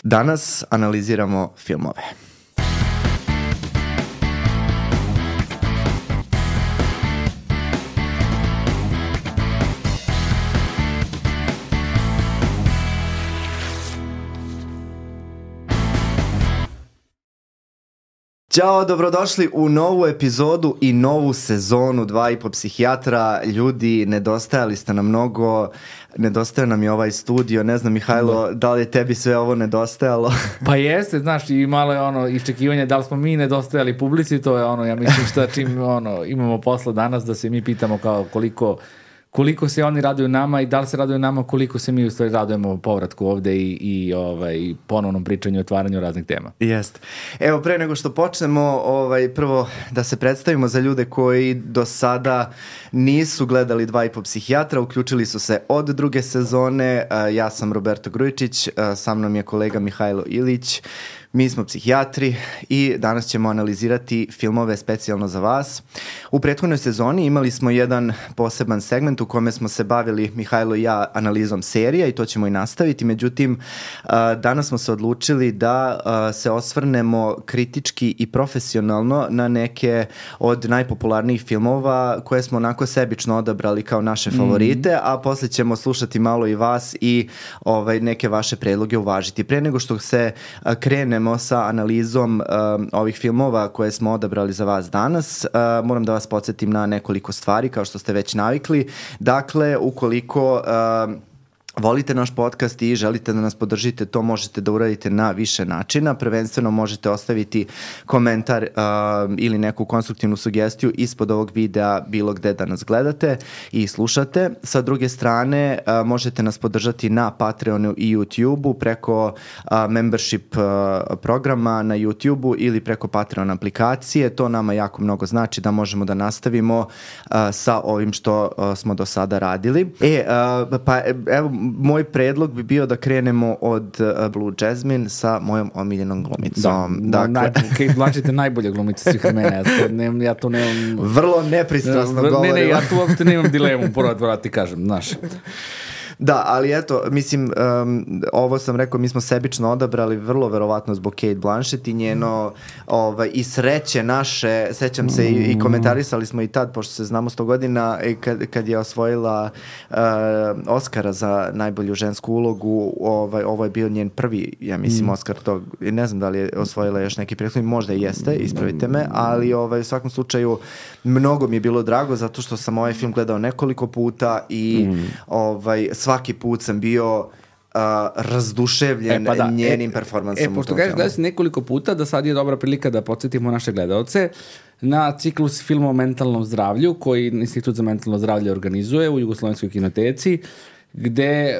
Danas analiziramo filmove. Ćao, dobrodošli u novu epizodu i novu sezonu 2,5 psihijatra. Ljudi, nedostajali ste nam mnogo, nedostaje nam je ovaj studio. Ne znam, Mihajlo, da li je tebi sve ovo nedostajalo? Pa jeste, znaš, i malo je ono iščekivanje da li smo mi nedostajali publici, to je ono, ja mislim šta čim imamo posla danas da se mi pitamo kao koliko se oni raduju nama i da li se raduju nama, koliko se mi u stvari radujemo povratku ovde i ponovnom pričanju i otvaranju raznih tema. Jeste. Evo, pre nego što počnemo, prvo da se predstavimo za ljude koji do sada nisu gledali 2,5 psihijatra, uključili su se od druge sezone. Ja sam Roberto Grujičić, sa mnom je kolega Mihajlo Ilić. Mi smo psihijatri i danas ćemo analizirati filmove specijalno za vas. U prethodnoj sezoni imali smo jedan poseban segment u kome smo se bavili, Mihajlo i ja, analizom serija i to ćemo i nastaviti. Međutim, danas smo se odlučili da se osvrnemo kritički i profesionalno na neke od najpopularnijih filmova koje smo onako sebično odabrali kao naše favorite, a posle ćemo slušati malo i vas i neke vaše predloge uvažiti. Pre nego što se krenemo sa analizom ovih filmova koje smo odabrali za vas danas, moram da vas podsjetim na nekoliko stvari kao što ste već navikli. Dakle, ukoliko volite naš podcast i želite da nas podržite, to možete da uradite na više načina. Prvenstveno možete ostaviti komentar ili neku konstruktivnu sugestiju ispod ovog videa bilo gde da nas gledate i slušate. Sa druge strane, možete nas podržati na Patreonu i YouTubeu preko membership programa na YouTubeu ili preko Patreon aplikacije. To nama jako mnogo znači da možemo da nastavimo sa ovim što smo do sada radili. Evo, moj predlog bi bio da krenemo od Blue Jasmine sa mojom omiljenom glumicom. Kate Blanchett je najbolja glumica svih vremena. Ja to nemam... Vrlo nepristrasno govorim. Ne, ja tu uopšte nemam dilemu, prvo ti kažem, znaš. Da, ali eto, mislim, ovo sam rekao, mi smo sebično odabrali vrlo verovatno zbog Kate Blanchett i njeno i sreće naše, sećam se i komentarisali smo i tad, pošto se znamo 100 godina, kad je osvojila Oscara za najbolju žensku ulogu, ovo je bio njen prvi, ja mislim, Oscar tog, ne znam da li je osvojila još neki prethodni, možda i jeste, ispravite me, ali u svakom slučaju mnogo mi je bilo drago zato što sam ovaj film gledao nekoliko puta i svaki put sam bio razduševljen njenim performansom. Pošto kažeš gledao si nekoliko puta, da sad je dobra prilika da podsjetimo naše gledalce na ciklus filma o mentalnom zdravlju koji Institut za mentalno zdravlje organizuje u Jugoslovenskoj kinoteci, gde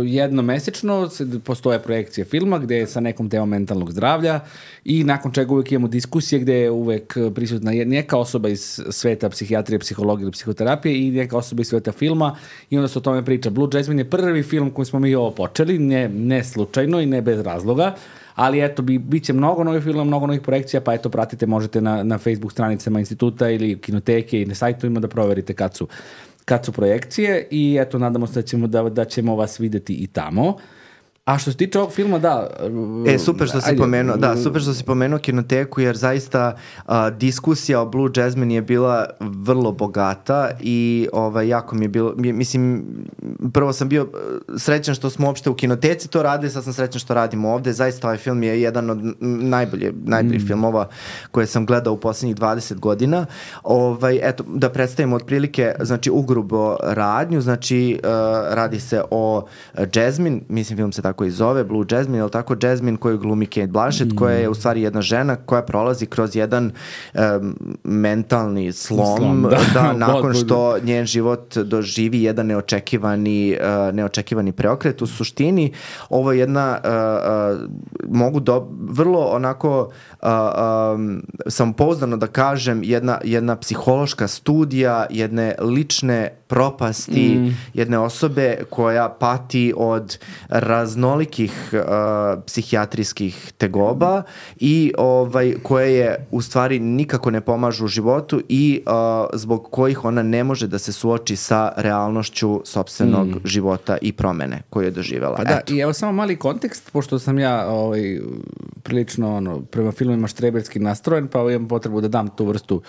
jednomesečno postoje projekcije filma gde je sa nekom temom mentalnog zdravlja i nakon čega uvek imamo diskusije gde je uvek prisutna neka osoba iz sveta psihijatrije, psihologije ili psihoterapije i neka osoba iz sveta filma i onda se o tome priča. Blue Jasmine je prvi film koji smo mi ovo počeli, ne slučajno i ne bez razloga, ali eto, bit će mnogo novih filmova, mnogo novih projekcija, pa eto, pratite, možete na Facebook stranicama instituta ili kinoteke i na sajtovima da proverite kad su projekcije i eto, nadamo se da ćemo vas videti i tamo. A što se tiče ovog filma, da... Super što si pomenuo kinoteku, jer zaista diskusija o Blue Jasmine je bila vrlo bogata i jako mi je bilo... Mislim, prvo sam bio srećan što smo uopšte u kinoteci to radili, sad sam srećan što radimo ovde. Zaista ovaj film je jedan od najboljih filmova koje sam gledao u poslednjih 20 godina. Eto, da predstavimo otprilike, znači, ugrubo radnju, znači, radi se o Jasmine, mislim, film se tako i zove, Blue Jasmine, ili tako, Jasmine koju glumi Kate Blanchett, koja je u stvari jedna žena koja prolazi kroz jedan mentalni slom, nakon što njen život doživi jedan neočekivani preokret. U suštini, ovo je jedna, vrlo onako samopouzdano da kažem jedna psihološka studija jedne lične propasti jedne osobe koja pati od raznolikih psihijatrijskih tegoba i koje je u stvari nikako ne pomažu u životu i zbog kojih ona ne može da se suoči sa realnošću sopstvenog života i promene koju je doživjela. Pa da, i evo samo mali kontekst, pošto sam ja prilično prema filmima štreberski nastrojen, pa imam potrebu da dam tu vrstu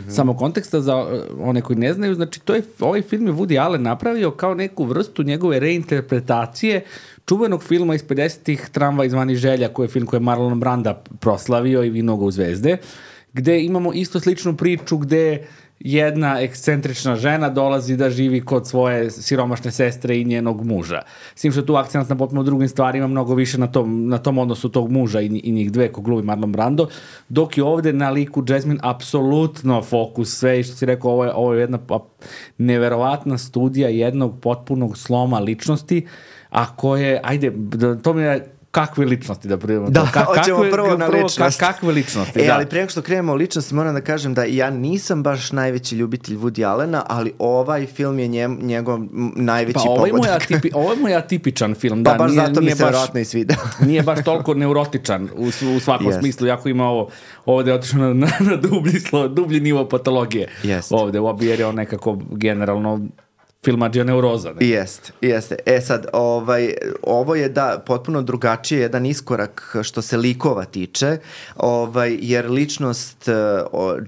samo konteksta za one koji ne znaju. Znači, ovaj film je Woody Allen napravio kao neku vrstu njegove reinterpretacije čuvenog filma iz 50-ih Tramvaj zvani Želja, koji je film koji je Marlon Branda proslavio i Vinoga u zvezde, gde imamo isto sličnu priču gde jedna ekscentrična žena dolazi da živi kod svoje siromašne sestre i njenog muža. S tim što tu akcent na potpuno drugim stvarima, mnogo više na tom odnosu tog muža i njih dve ko glubi Marlon Brando, dok je ovde na liku Jasmine apsolutno fokus sve i što si rekao, ovo je jedna neverovatna studija jednog potpunog sloma ličnosti, a koje, to mi je kakve ličnosti da primamo. Da, hoćemo prvo na ličnost. Kakve ličnosti, ali prije što krenemo o ličnosti, moram da kažem da ja nisam baš najveći ljubitelj Woody Allena, ali ovaj film je njegov najveći pogodak. Ovo je moj atipičan film. Pa baš zato mi se vjerojatno i sviđa. Nije baš toliko neurotičan u svakom smislu, jako ima ovdje je otišao na dublji nivo patologije. Ovdje, jer je on nekako generalno filmađija neuroza. Jeste. Sad, ovo je potpuno drugačije, jedan iskorak što se likova tiče, jer ličnost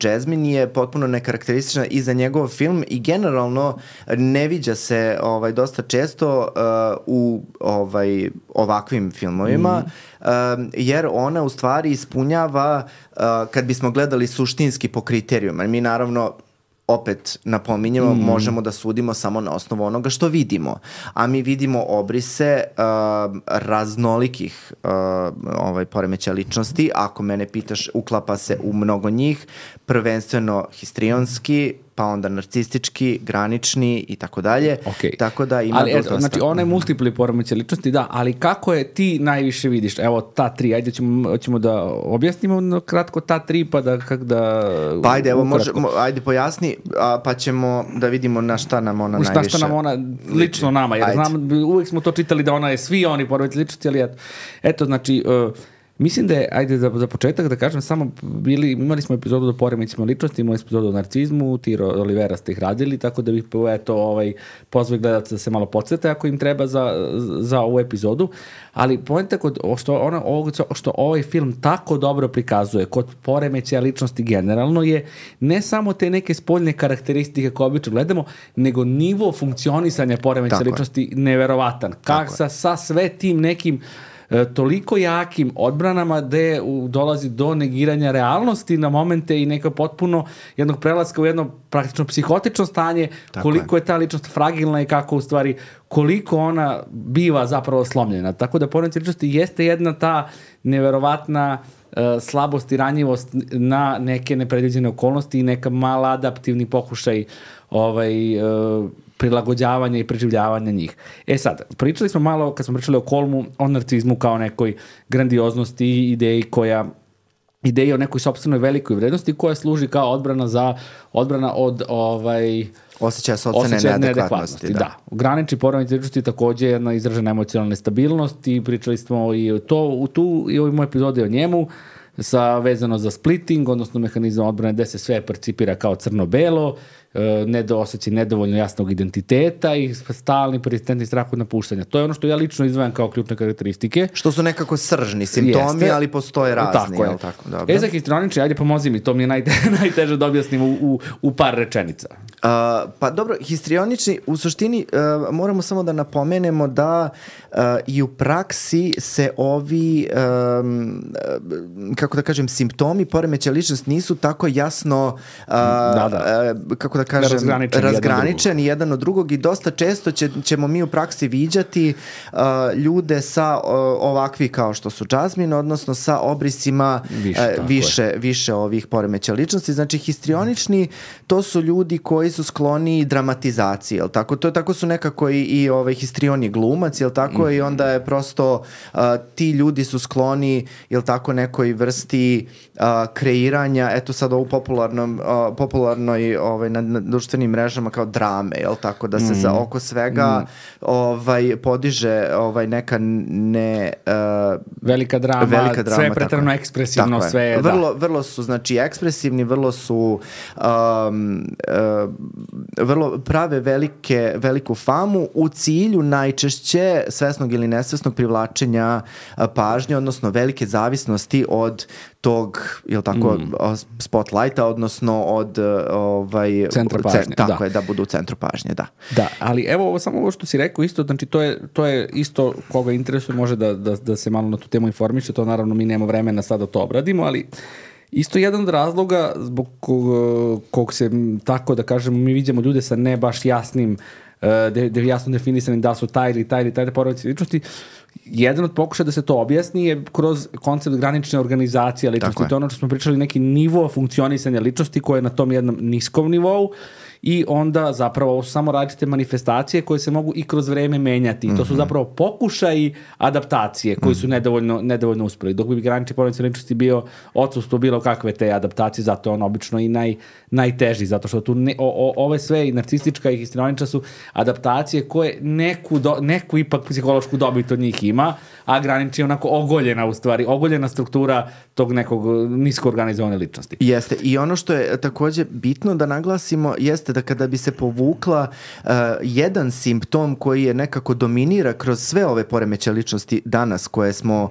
Jasmine je potpuno nekarakteristična i za njegov film i generalno ne viđa se dosta često u ovakvim filmovima, jer ona u stvari ispunjava, kad bismo gledali suštinski po kriterijuma, mi naravno opet napominjemo, možemo da sudimo samo na osnovu onoga što vidimo. A mi vidimo obrise raznolikih poremećaja ličnosti. Ako mene pitaš, uklapa se u mnogo njih, prvenstveno histrionski, pa onda narcistički, granični i tako dalje. Tako da ima dosta. Znači, ona je multipli poremećaj ličnosti, da, ali kako je ti najviše vidiš? Evo, ta tri, ajde ćemo da objasnimo kratko ta tri, pa da... Pa ajde pojasni, pa ćemo da vidimo na šta nam ona najviše... Šta nam ona, lično nama, jer znam, uvijek smo to čitali da ona je svi oni poremećaj ličnosti, ali eto, znači... Mislim da je, ajde za početak da kažem, samo imali smo epizodu o poremećima ličnosti, imali smo epizodu o narcizmu, Tiro Olivera ste ih radili, tako da bih pozvao gledalca da se malo podsjete ako im treba za ovu epizodu, ali poenta što ovaj film tako dobro prikazuje kod poremećaja ličnosti generalno je ne samo te neke spoljne karakteristike koje obično gledamo, nego nivo funkcionisanja poremećaja ličnosti neverovatan. Sa sve tim nekim toliko jakim odbranama gde dolazi do negiranja realnosti na momente i neka potpuno jednog prelaska u jedno praktično psihotično stanje, koliko je ta ličnost fragilna i kako u stvari, koliko ona biva zapravo slomljena. Tako da poremećaj ličnosti jeste jedna ta neverovatna slabost i ranjivost na neke nepredviđene okolnosti i neka mala adaptivni pokušaj prilagođavanja i preživljavanja njih. Sad, pričali smo malo, kad smo pričali o Kolmu, o narcizmu kao nekoj grandioznosti i ideji o nekoj sopstvenoj velikoj vrednosti koja služi kao odbrana od osjećaja sopstvene neadekvatnosti. Da. Granični poremećaj ličnosti također je jedna izražena emocionalna nestabilnost i pričali smo i u ovoj mojoj epizodi o njemu, vezano za splitting, odnosno mehanizam odbrane gde se sve percipira kao crno-belo, osjećaj nedovoljno jasnog identiteta i stalni persistentni strah od napuštanja. To je ono što ja lično izdvajam kao ključne karakteristike. Što su nekako sržni simptomi, ali postoje razni. Tako je. Za histrionični, ajde pomozi mi, to mi je najteže da objasnim u par rečenica. Pa dobro, histrionični, u suštini moramo samo da napomenemo da i u praksi se ovi kako da kažem, simptomi poremećaja ličnosti nisu tako jasno kako da kažem, razgraničeni jedan od drugog i dosta često ćemo mi u praksi viđati ljude sa ovakvi kao što su Jasmine, odnosno sa obrisima više ovih poremećaja ličnosti. Znači, histrionični, to su ljudi koji su skloni dramatizaciji, jel tako? Tako su nekako i histrion je glumac, jel tako? I onda je prosto ti ljudi su skloni, jel tako, nekoj vrsti kreiranja, eto sad ovu popularnoj na društvenim mrežama kao drame, jel tako? Da se oko svega podiže neka velika drama, sve je preterano ekspresivno, sve je, vrlo su, znači, ekspresivni, vrlo su vrlo prave veliku famu u cilju najčešće svesnog ili nesvesnog privlačenja pažnje, odnosno velike zavisnosti od tog, jel tako, spotlighta, odnosno od centra pažnje. Tako je, da budu u centru pažnje, da. Da, ali evo samo ovo što si rekao isto, znači to je isto koga interesuje može da se malo na tu temu informiše, to naravno mi nemamo vremena sad da to obradimo, ali isto jedan od razloga zbog kog se, tako da kažemo, mi vidimo ljude sa ne baš jasnim, jasno definisanim da su taj ili taj poremećaj ličnosti. Jedan od pokušaja da se to objasni je kroz koncept granične organizacije ličnosti. To je ono što smo pričali, neki nivo funkcionisanja ličnosti koje je na tom jednom niskom nivou i onda zapravo ovo su samo različite manifestacije koje se mogu i kroz vreme menjati. I to su zapravo pokušaji adaptacije koji su nedovoljno uspeli. Dok bi granični poremećaj ličnosti bio odsustvo bilo kakve te adaptacije, zato je on obično i najteži, zato što tu ove sve i narcistička i histrionična su adaptacije koje neku ipak psihološku dobit od njih ima, a granični je onako ogoljena struktura tog nekog nisko organizovane ličnosti. Jeste, i ono što je također bitno da naglasimo jeste da kada bi se povukla jedan simptom koji je nekako dominira kroz sve ove poremećaje ličnosti danas koje smo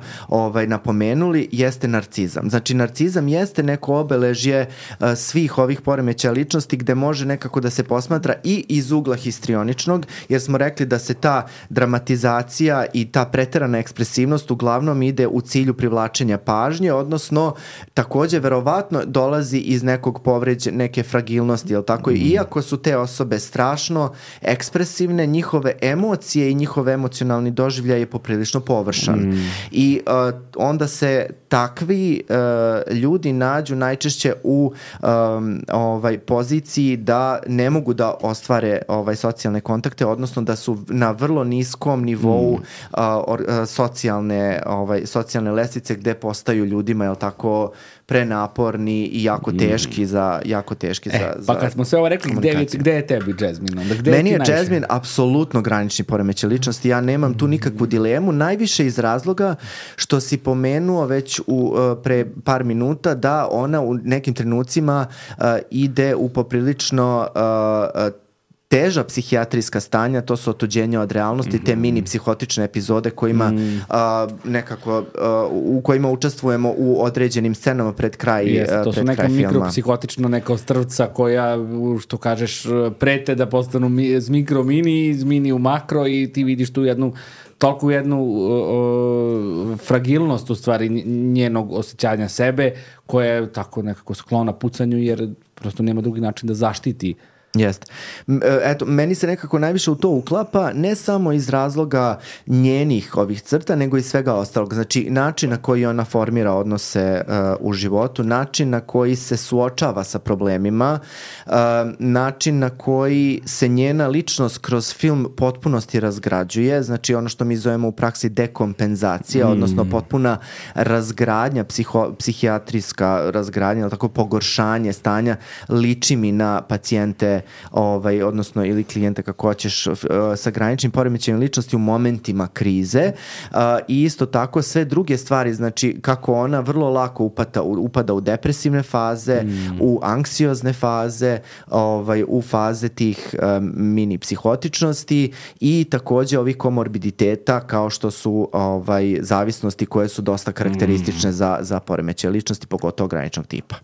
napomenuli, jeste narcizam. Znači, narcizam jeste neko obeležje svih ovih poremećaja ličnosti gde može nekako da se posmatra i iz ugla histrioničnog, jer smo rekli da se ta dramatizacija i ta preterana ekspresivnost uglavnom ide u cilju privlačenja pažnje, odnosno također verovatno dolazi iz nekog neke fragilnosti, jel tako? Iako su te osobe strašno ekspresivne, njihove emocije i njihov emocionalni doživljaj je poprilično površan. I onda se takvi ljudi nađu najčešće u poziciji da ne mogu da ostvare socijalne kontakte, odnosno da su na vrlo niskom nivou socijalne lestvice gde postaju ljudima, jel tako, prenaporni i jako teški za pa kad smo sve ovo rekli, gde je tebi Jasmine? Meni je Jasmine apsolutno granični poremećaj ličnosti, ja nemam tu nikakvu dilemu, najviše iz razloga što si pomenuo već pre par minuta da ona u nekim trenucima ide u poprilično teža psihijatrijska stanja, to su otuđenja od realnosti, te mini psihotične epizode kojima u kojima učestvujemo u određenim scenama pred kraj filma. To su neka mikropsihotična neka ostrvca koja, što kažeš, prete da postanu iz mikro mini, iz mini u makro i ti vidiš tu toliko jednu fragilnost u stvari njenog osjećanja sebe koja je tako nekako sklona pucanju jer prosto nema drugi način da zaštiti. Jeste. Eto, meni se nekako najviše u to uklapa, ne samo iz razloga njenih ovih crta, nego i svega ostalog. Znači, način na koji ona formira odnose u životu, način na koji se suočava sa problemima, način na koji se njena ličnost kroz film potpunosti razgrađuje, znači ono što mi zovemo u praksi dekompenzacija, odnosno potpuna razgradnja, psihijatrijska razgradnja, tako pogoršanje stanja, liči mi na pacijente odnosno ili klijente kako hoćeš sa graničnim poremećajem ličnosti u momentima krize i isto tako sve druge stvari, znači kako ona vrlo lako upada u depresivne faze, u anksiozne faze, u faze tih mini psihotičnosti i također ovih komorbiditeta kao što su zavisnosti koje su dosta karakteristične za poremećaje ličnosti, pogotovo graničnog tipa.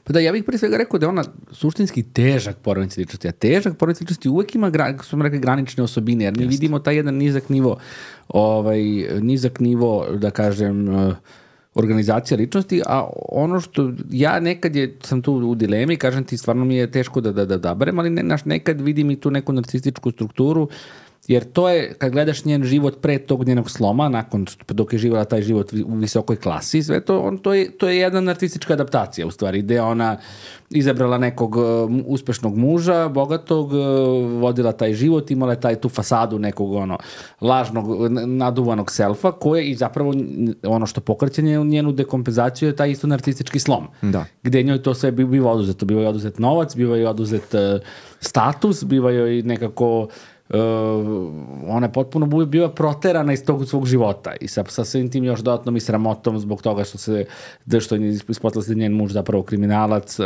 Pa da, ja bih prije svega rekao da je ona suštinski težak poremećaj ličnosti, a težak poremećaj ličnosti uvek ima, kako smo rekli, granične osobine, jer mi vidimo taj jedan nizak nivo, da kažem, organizacija ličnosti, a ono što ja nekad sam tu u dilemi, kažem ti, stvarno mi je teško da odaberem, ali nekad vidim i tu neku narcističku strukturu, jer to je, kad gledaš njen život pre tog njenog sloma, dok je živjela taj život u visokoj klasi, sve to je jedna narcistička adaptacija, u stvari, gde ona izabrala nekog uspešnog muža, bogatog, vodila taj život, imala je tu fasadu nekog lažnog, naduvanog selfa, koje i zapravo ono što pokreće njenu dekompenzaciju je taj isto narcistički slom. Da. Gde njoj to sve biva oduzeto. Biva je oduzet novac, biva je oduzet status, biva je nekako ona je potpuno bila proterana iz tog svog života i sa svim tim još dodatnom i sramotom zbog toga što je ispostala se njen muž zapravo kriminalac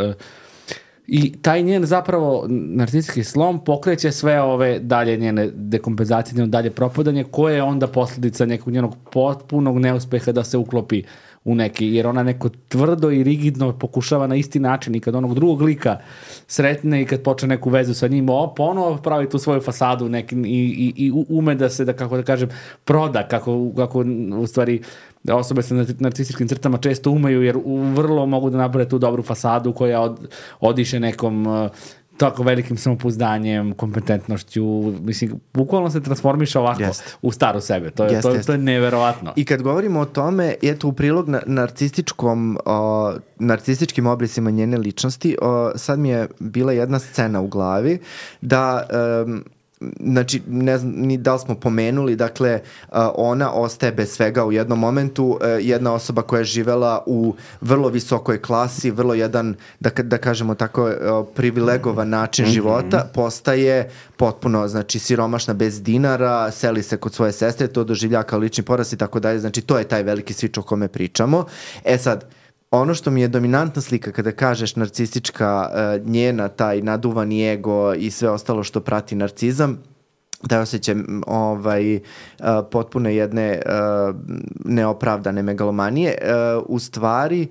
i taj njen zapravo narcistički slom pokreće sve ove dalje njene dekompenzacije, njeno dalje propadanje koje je onda posljedica nekog njenog potpunog neuspeha da se uklopi u neki, jer ona neko tvrdo i rigidno pokušava na isti način i kad onog drugog lika sretne i kad počne neku vezu sa njim, ponovo pravi tu svoju fasadu i ume da se, kako da kažem, proda, kako u stvari osobe sa narcističkim crtama često umeju, jer vrlo mogu da naprave tu dobru fasadu koja odiše nekom tako velikim samopouzdanjem, kompetentnošću, mislim, bukvalno se transformiša ovako u staru sebe. To je neverovatno. I kad govorimo o tome, eto u prilog narcističkim obrisima njene ličnosti, sad mi je bila jedna scena u glavi da znači, ne znam ni da li smo pomenuli, dakle, ona ostaje bez svega u jednom momentu, jedna osoba koja je živela u vrlo visokoj klasi, vrlo jedan, da kažemo tako, privilegovan način života, postaje potpuno, znači, siromašna bez dinara, seli se kod svoje sestre, to doživlja kao lični poraz i tako dalje, znači, to je taj veliki switch o kome pričamo. Sad, ono što mi je dominantna slika kada kažeš narcistička, njena taj naduvani ego i sve ostalo što prati narcizam, da osjećaj potpuno jedne neopravdane megalomanije. U stvari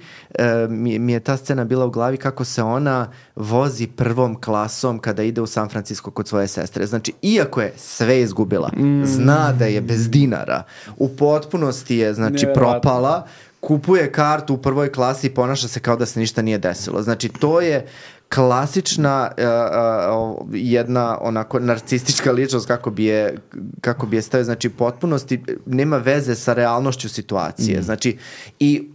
mi je ta scena bila u glavi kako se ona vozi prvom klasom kada ide u San Francisco kod svoje sestre. Znači, iako je sve izgubila, zna da je bez dinara, u potpunosti je, znači, propala, kupuje kartu u prvoj klasi i ponaša se kao da se ništa nije desilo. Znači, to je klasična jedna onako narcistička ličnost kako bi je stavio. Znači, potpunosti nema veze sa realnošću situacije. Znači, i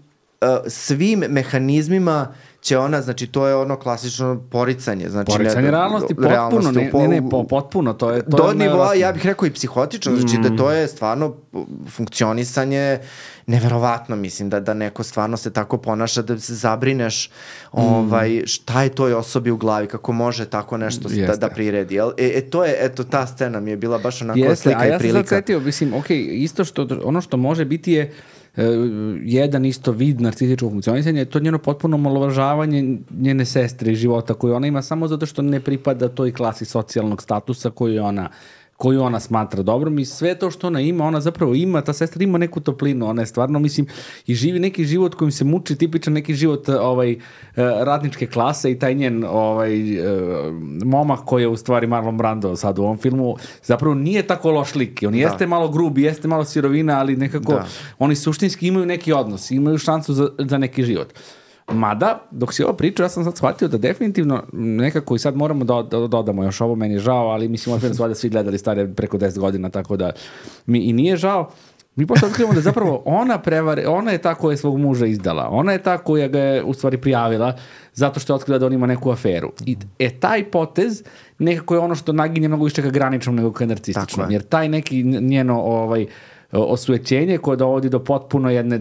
svim mehanizmima će ona, znači, to je ono klasično poricanje. Znači, poricanje realnosti, potpuno, potpuno, to je do nivoa, ja bih rekao i psihotično, znači da to je stvarno funkcionisanje neverovatno, mislim, da neko stvarno se tako ponaša, da se zabrineš šta je toj osobi u glavi, kako može tako nešto da priredi. To je, eto, ta scena mi je bila baš onako slika i prilika. A ja sam sad setio, mislim, isto ono što može biti je jedan isto vid narcističkog funkcionisanja, je to njeno potpuno omalovažavanje njene sestre i života koju ona ima samo zato što ne pripada toj klasi socijalnog statusa koju ona smatra dobrom i sve to što ona ima, ona zapravo ima, ta sestra ima neku toplinu, ona je stvarno, mislim, i živi neki život kojim se muči, tipičan neki život radničke klase i taj njen momak koji je u stvari Marlon Brando sad u ovom filmu, zapravo nije tako loš lik, on jeste malo grubi, jeste malo sirovina, ali nekako oni suštinski imaju neki odnos, imaju šansu za neki život. Mada, dok si ovo pričao, ja sam sad shvatio da definitivno nekako i sad moramo da dodamo još ovo, meni je žao, ali mislim da svi gledali stare preko 10 godina, tako da mi i nije žao. Mi posle otkrivamo da zapravo ona je ta koja je svog muža izdala, ona je ta koja ga je u stvari prijavila zato što je otkrila da on ima neku aferu. I taj potez nekako je ono što naginje mnogo više ka graničnom nego ka narcističnom, jer taj neki njeno osujećenje koje dovodi do potpuno jedne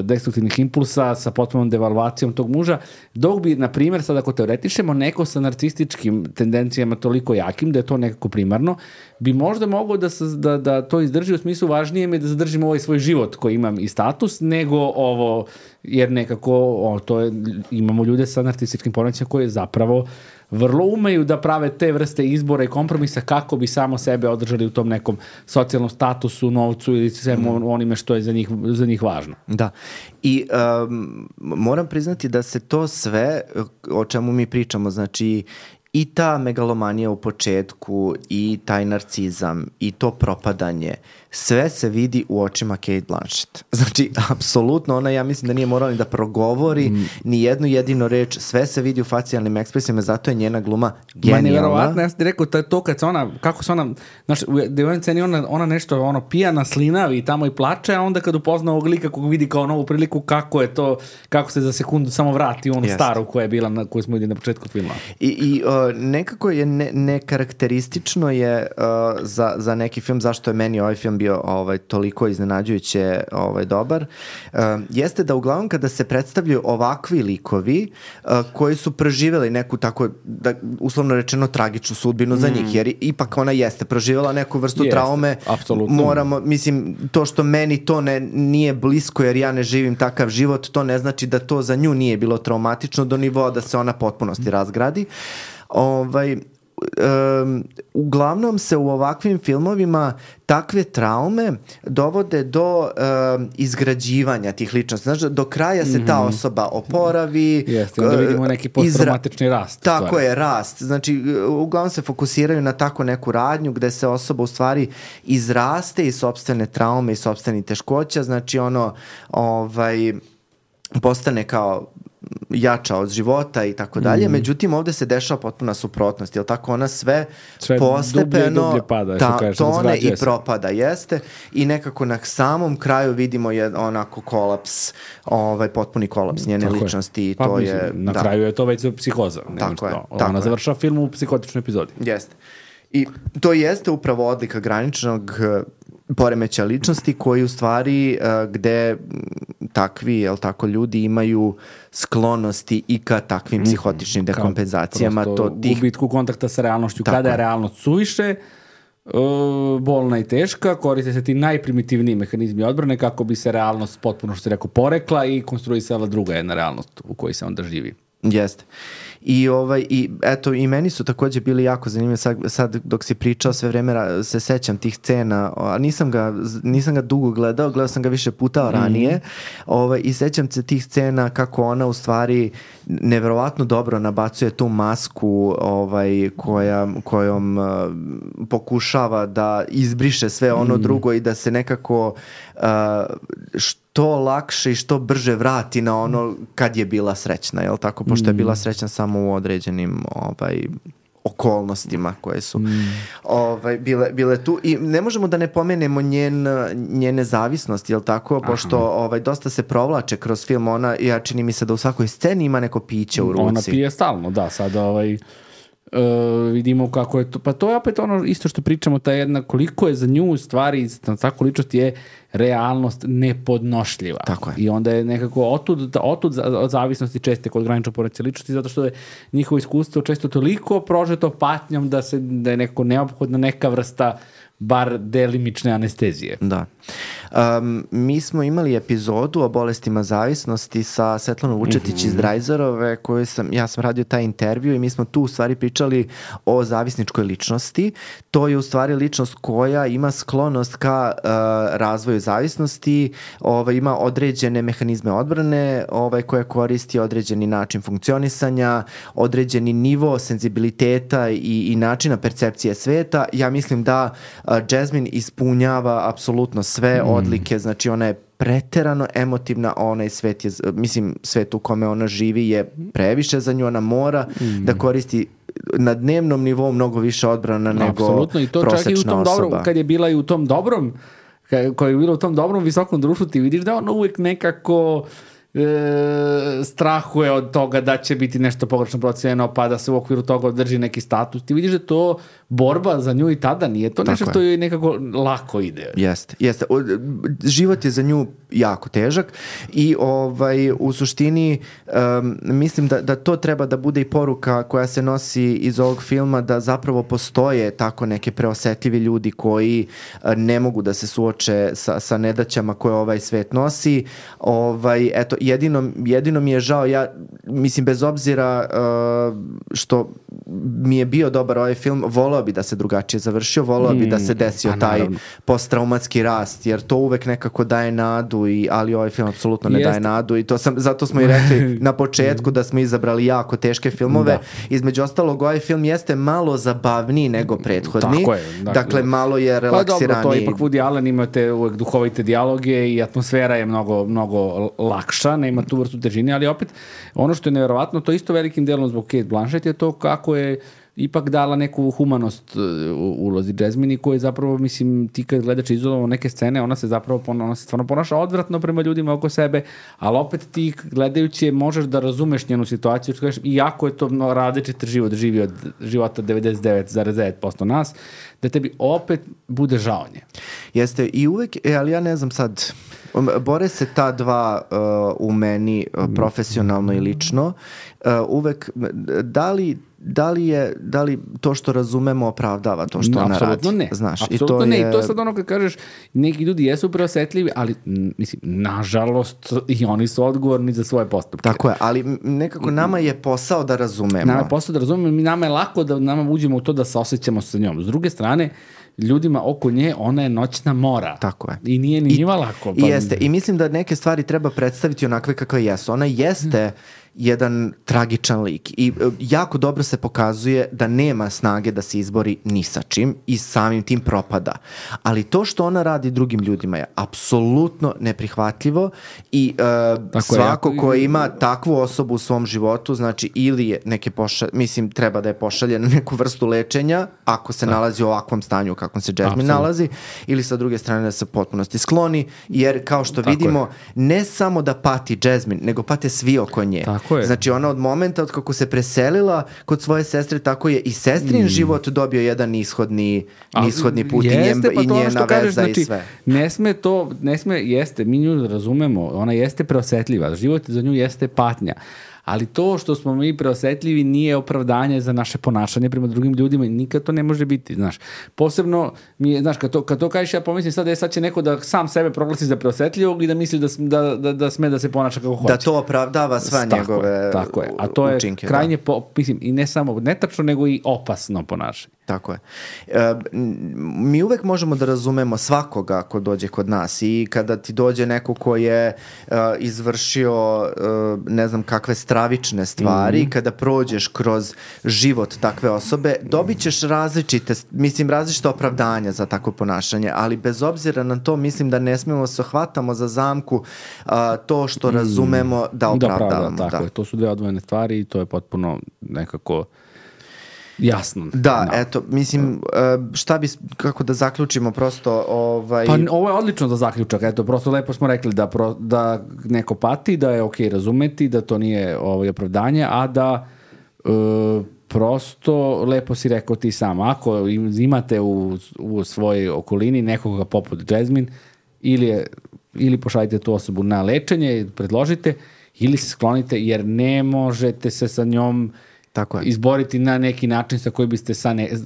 destruktivnih impulsa sa potpunom devalvacijom tog muža, dok bi, na primjer, sad ako teoretišemo, neko sa narcističkim tendencijama toliko jakim, da je to nekako primarno, bi možda mogao da to izdrži, u smislu važnije mi je da zadržimo ovaj svoj život koji imam i status, nego ovo, jer nekako imamo ljude sa narcističkim poremećajima koji zapravo vrlo umeju da prave te vrste izbora i kompromisa kako bi samo sebe održali u tom nekom socijalnom statusu, novcu ili svemu onime što je za njih važno. Da. I moram priznati da se to sve o čemu mi pričamo, znači i ta megalomanija u početku i taj narcizam i to propadanje, sve se vidi u očima Cate Blanchett. Znači, apsolutno, ona, ja mislim da nije morala ni da progovori ni jednu jedinu reč, sve se vidi u facijalnim ekspresijama, zato je njena gluma genijalna. Nevjerovatno, ja sam ti rekao, to kad se ona, kako se ona, znaš, u jednoj sceni ona nešto, pijana, slinavi i tamo i plače, a onda kad upozna ovog lika kog vidi kao novu priliku, kako je to, kako se za sekundu samo vrati u onu staru koja je bila, koju smo vidjeli na početku filma. I nekako je nekarakteristično je za neki film, zašto je meni ovaj film bio toliko iznenađujuće dobar, jeste da uglavnom kada se predstavljaju ovakvi likovi koji su preživjeli neku tako, da, uslovno rečeno, tragičnu sudbinu za njih, jer ipak ona jeste proživjela neku vrstu traume. Apsolutno. Moramo, mislim, to što meni to nije blisko jer ja ne živim takav život, to ne znači da to za nju nije bilo traumatično do nivoa da se ona potpunosti razgradi. Uglavnom se u ovakvim filmovima takve traume dovode do izgrađivanja tih ličnosti. Znači, do kraja se ta osoba oporavi. Jeste, onda vidimo neki posttraumatični rast. Tako je, rast. Znači, uglavnom se fokusiraju na tako neku radnju gde se osoba u stvari izraste iz sopstvene traume i sopstvenih teškoća. Znači, postane kao jača od života i tako dalje. Međutim, ovdje se dešava potpuna suprotnost. Jel tako? Ona sve postepeno dublje pada, tone i propada. Jeste. I nekako na samom kraju vidimo onako kolaps, potpuni kolaps njene ličnosti. I to je, na kraju je to već psihoza. Tako je. Ona završava film u psihotičnoj epizodi. Jeste. I to jeste upravo odlika graničnog poremeća ličnosti koji u stvari gde takvi, jel tako, ljudi imaju sklonosti i ka takvim psihotičnim dekompenzacijama. Gubitku kontakta sa realnošću. Kada je realnost suviše bolna i teška, koriste se ti najprimitivniji mehanizmi odbrane kako bi se realnost potpuno, što se rekao, porekla i konstruisala druga jedna realnost u kojoj se onda živi. Jeste. I eto, i meni su također bili jako zanimljivi, sad dok si pričao sve vreme se sećam tih scena, a nisam ga dugo gledao sam ga više puta ranije, i sećam se tih scena kako ona u stvari neverovatno dobro nabacuje tu masku kojom pokušava da izbriše sve ono drugo i da se nekako što lakše i što brže vrati na ono kad je bila srećna, jel tako? Pošto je bila srećna samo u određenim okolnostima koje su bile tu. I ne možemo da ne pomenemo njene zavisnosti, jel tako? Pošto dosta se provlače kroz film. Ja čini mi se da u svakoj sceni ima neko piće u ruci. Ona pije stalno, da. Sada vidimo kako je to. Pa to je opet ono isto što pričamo, ta jedna, koliko je za nju u stvari, tako ličnost je realnost nepodnošljiva. Tako je. I onda je nekako otud od zavisnosti česte kod granično poremećaja ličnosti, zato što je njihovo iskustvo često toliko prožeto patnjom da je nekako neophodna neka vrsta bar delimične anestezije. Da. Mi smo imali epizodu o bolestima zavisnosti sa Svetlanom Vučetić iz Drajzerove, ja sam radio taj intervju i mi smo tu u stvari pričali o zavisničkoj ličnosti. To je u stvari ličnost koja ima sklonost ka razvoju zavisnosti, ima određene mehanizme odbrane koja koristi određeni način funkcionisanja, određeni nivo senzibiliteta i načina percepcije sveta. Ja mislim da Jasmine ispunjava apsolutno sve odlike, znači ona je preterano emotivna, onaj svet je, mislim, svet u kome ona živi je previše za nju, ona mora da koristi na dnevnom nivou mnogo više odbrana nego i to prosečna čak i u tom osoba. Dobrom, kad je bila i u tom dobrom, koja je bila u tom dobrom visokom društvu, ti vidiš da ona uvijek nekako strahuje od toga da će biti nešto pogrešno procenjeno, pa da se u okviru toga održi neki status. Ti vidiš da to borba za nju i tada nije to nešto što joj nekako lako ide. Jeste. Život je za nju jako težak i u suštini mislim da to treba da bude i poruka koja se nosi iz ovog filma, da zapravo postoje tako neke preosetljivi ljudi koji ne mogu da se suoče sa nedaćama koje ovaj svet nosi. Eto, jedino mi je žao, ja mislim bez obzira što mi je bio dobar ovaj film, voleo bi da se drugačije završio, voleo bi da se desio taj posttraumatski rast, jer to uvek nekako daje nadu, ali ovaj film apsolutno ne daje nadu i zato smo i rekli na početku da smo izabrali jako teške filmove. Između ostalog, ovaj film jeste malo zabavniji nego prethodni. Tako je. Dakle, malo je relaksiraniji. Pa dobro, to je ipak Woody Allen, imate uvek duhovite dijaloge i atmosfera je mnogo lakša, nema tu vrstu težine, ali opet ono što je nevjerovatno, to isto velikim delom zbog Cate Blanchett je to kako je ipak dala neku humanost u ulozi Jasmine, koja je zapravo, mislim, ti kad gledaš izolovano neke scene, ona se stvarno ponaša odvratno prema ljudima oko sebe, ali opet ti gledajući možeš da razumeš njenu situaciju, iako je to različit život, živi od života 99,9% nas, da tebi opet bude žao nje. Jeste, i uvek, ali ja ne znam sad, bore se ta dva u meni profesionalno i lično, uvek, da li to što razumemo opravdava to što ona radi? Apsolutno ne. Znaš, apsolutno ne. I to je sad ono kad kažeš, neki ljudi jesu preosetljivi, ali mislim, nažalost i oni su odgovorni za svoje postupke. Tako je, ali nekako nama je posao da razumemo. Nama je posao da razumemo, nama je lako da nama uđemo u to da se osjećamo sa njom. S druge strane, ljudima oko nje, ona je noćna mora. Tako je. I nije ni njima lako. I jeste. I mislim da neke stvari treba predstaviti onakve kakve jesu. Ona jeste jedan tragičan lik i jako dobro se pokazuje da nema snage da se izbori ni sa čim i samim tim propada. Ali to što ona radi drugim ljudima je apsolutno neprihvatljivo i svako ko ima takvu osobu u svom životu, znači ili je treba da je pošalje na neku vrstu lečenja ako se nalazi u ovakvom stanju u kakvom se Jasmine nalazi, ili sa druge strane da se potpunosti skloni, jer kao što vidimo, ne samo da pati Jasmine, nego pate svi oko nje. Znači ona od momenta od kako se preselila kod svoje sestre, tako je i sestrin život dobio jedan nishodni put i njena veza i sve. Mi nju razumemo, ona jeste preosetljiva, život za nju jeste patnja. Ali to što smo mi preosetljivi nije opravdanje za naše ponašanje prema drugim ljudima i nikad to ne može biti, znaš. Posebno mi je, znaš, kad to kažeš, ja pomislim sad će neko da sam sebe proglasi za preosjetljivog i da misli da sme da se ponaša kako hoće. Da to opravdava sva njegove učinke. Tako je. A to je krajnje, mislim, i ne samo netačno, nego i opasno ponašanje. Tako je. Mi uvek možemo da razumemo svakoga ko dođe kod nas i kada ti dođe neko ko je izvršio ne znam kakve stravične stvari, kada prođeš kroz život takve osobe, dobit ćeš različite opravdanja za takvo ponašanje, ali bez obzira na to mislim da ne smemo se hvatamo za zamku to što razumemo da opravdavamo. Tako je, to su dve odvojene stvari i to je potpuno nekako jasno. Da, eto, mislim, kako da zaključimo prosto Pa ovo je odlično za zaključak, eto, prosto lepo smo rekli da neko pati, da je okej razumeti, da to nije opravdanje, a da prosto, lepo si rekao ti sam, ako imate u svojoj okolini nekoga poput Jasmine, ili pošaljite tu osobu na lečenje, predložite, ili se sklonite, jer ne možete se sa njom izboriti na neki način sa koji biste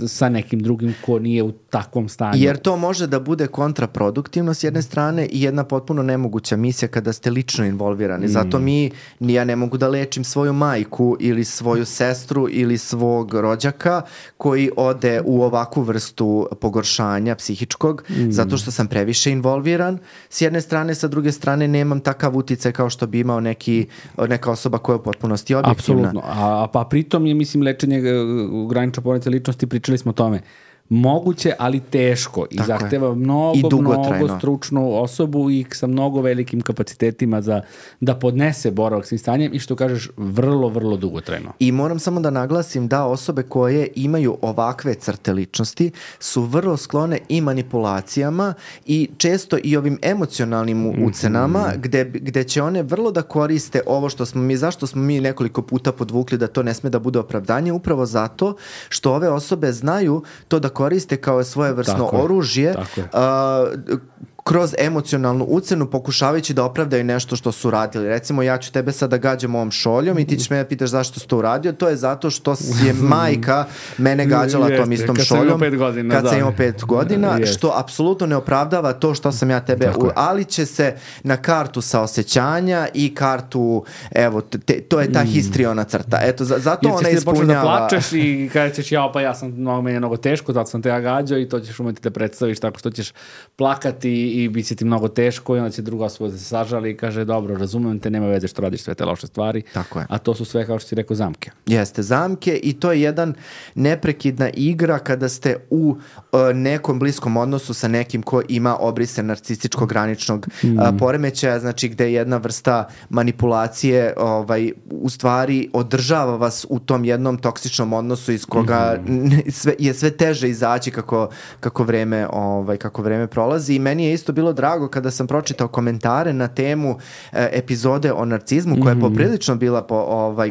sa nekim drugim ko nije u takvom stanju. Jer to može da bude kontraproduktivno s jedne strane i jedna potpuno nemoguća misija kada ste lično involvirani. Zato ja ne mogu da lečim svoju majku ili svoju sestru ili svog rođaka koji ode u ovakvu vrstu pogoršanja psihičkog, zato što sam previše involviran. S jedne strane, sa druge strane nemam takav uticaj kao što bi imao neka osoba koja je u potpunosti objektivna. Apsolutno. Pa pritom je, mislim, lečenje granične poremećaja ličnosti, pričali smo o tome, moguće, ali teško i zahteva mnogo stručnu osobu i sa mnogo velikim kapacitetima da podnese boravak s tim stanjem i što kažeš, vrlo, vrlo dugotrajno. I moram samo da naglasim da osobe koje imaju ovakve crte ličnosti su vrlo sklone i manipulacijama i često i ovim emocionalnim ucenama gde će one vrlo da koriste ovo zašto smo mi nekoliko puta podvukli da to ne sme da bude opravdanje, upravo zato što ove osobe znaju to da koriste kao svojevrsno oružje kroz emocionalnu ucenu pokušavajući da opravdaju nešto što su radili. Recimo, ja ću tebe sada gađam ovom šoljom i ti ćeš me pitaš zašto si to uradio. To je zato što je majka mene gađala tom istom šoljom kad sam imao 5 godina, što apsolutno ne opravdava to što sam ja tebe... ali će se na kartu saosećanja i kartu, evo, to je ta histriona crta. Eto, zato ona ispunjava... da plačeš i kada ćeš ja sam meni je mnogo teško, zato sam te ja gađao i to ćeš umeti da predstaviš tako što ćeš plakati i bit će ti mnogo teško i onda će druga osoba da se sažali i kaže dobro, razumem te, nema veze što radiš sve te loše stvari. Tako je. A to su sve, kao što si rekao, zamke. Jeste, zamke i to je jedan neprekidna igra kada ste u nekom bliskom odnosu sa nekim ko ima obrise narcističkog graničnog poremećaja, znači gde je jedna vrsta manipulacije u stvari održava vas u tom jednom toksičnom odnosu iz koga je sve teže izaći kako vreme prolazi. I meni je isto bilo drago kada sam pročitao komentare na temu epizode o narcizmu koja je poprilično bila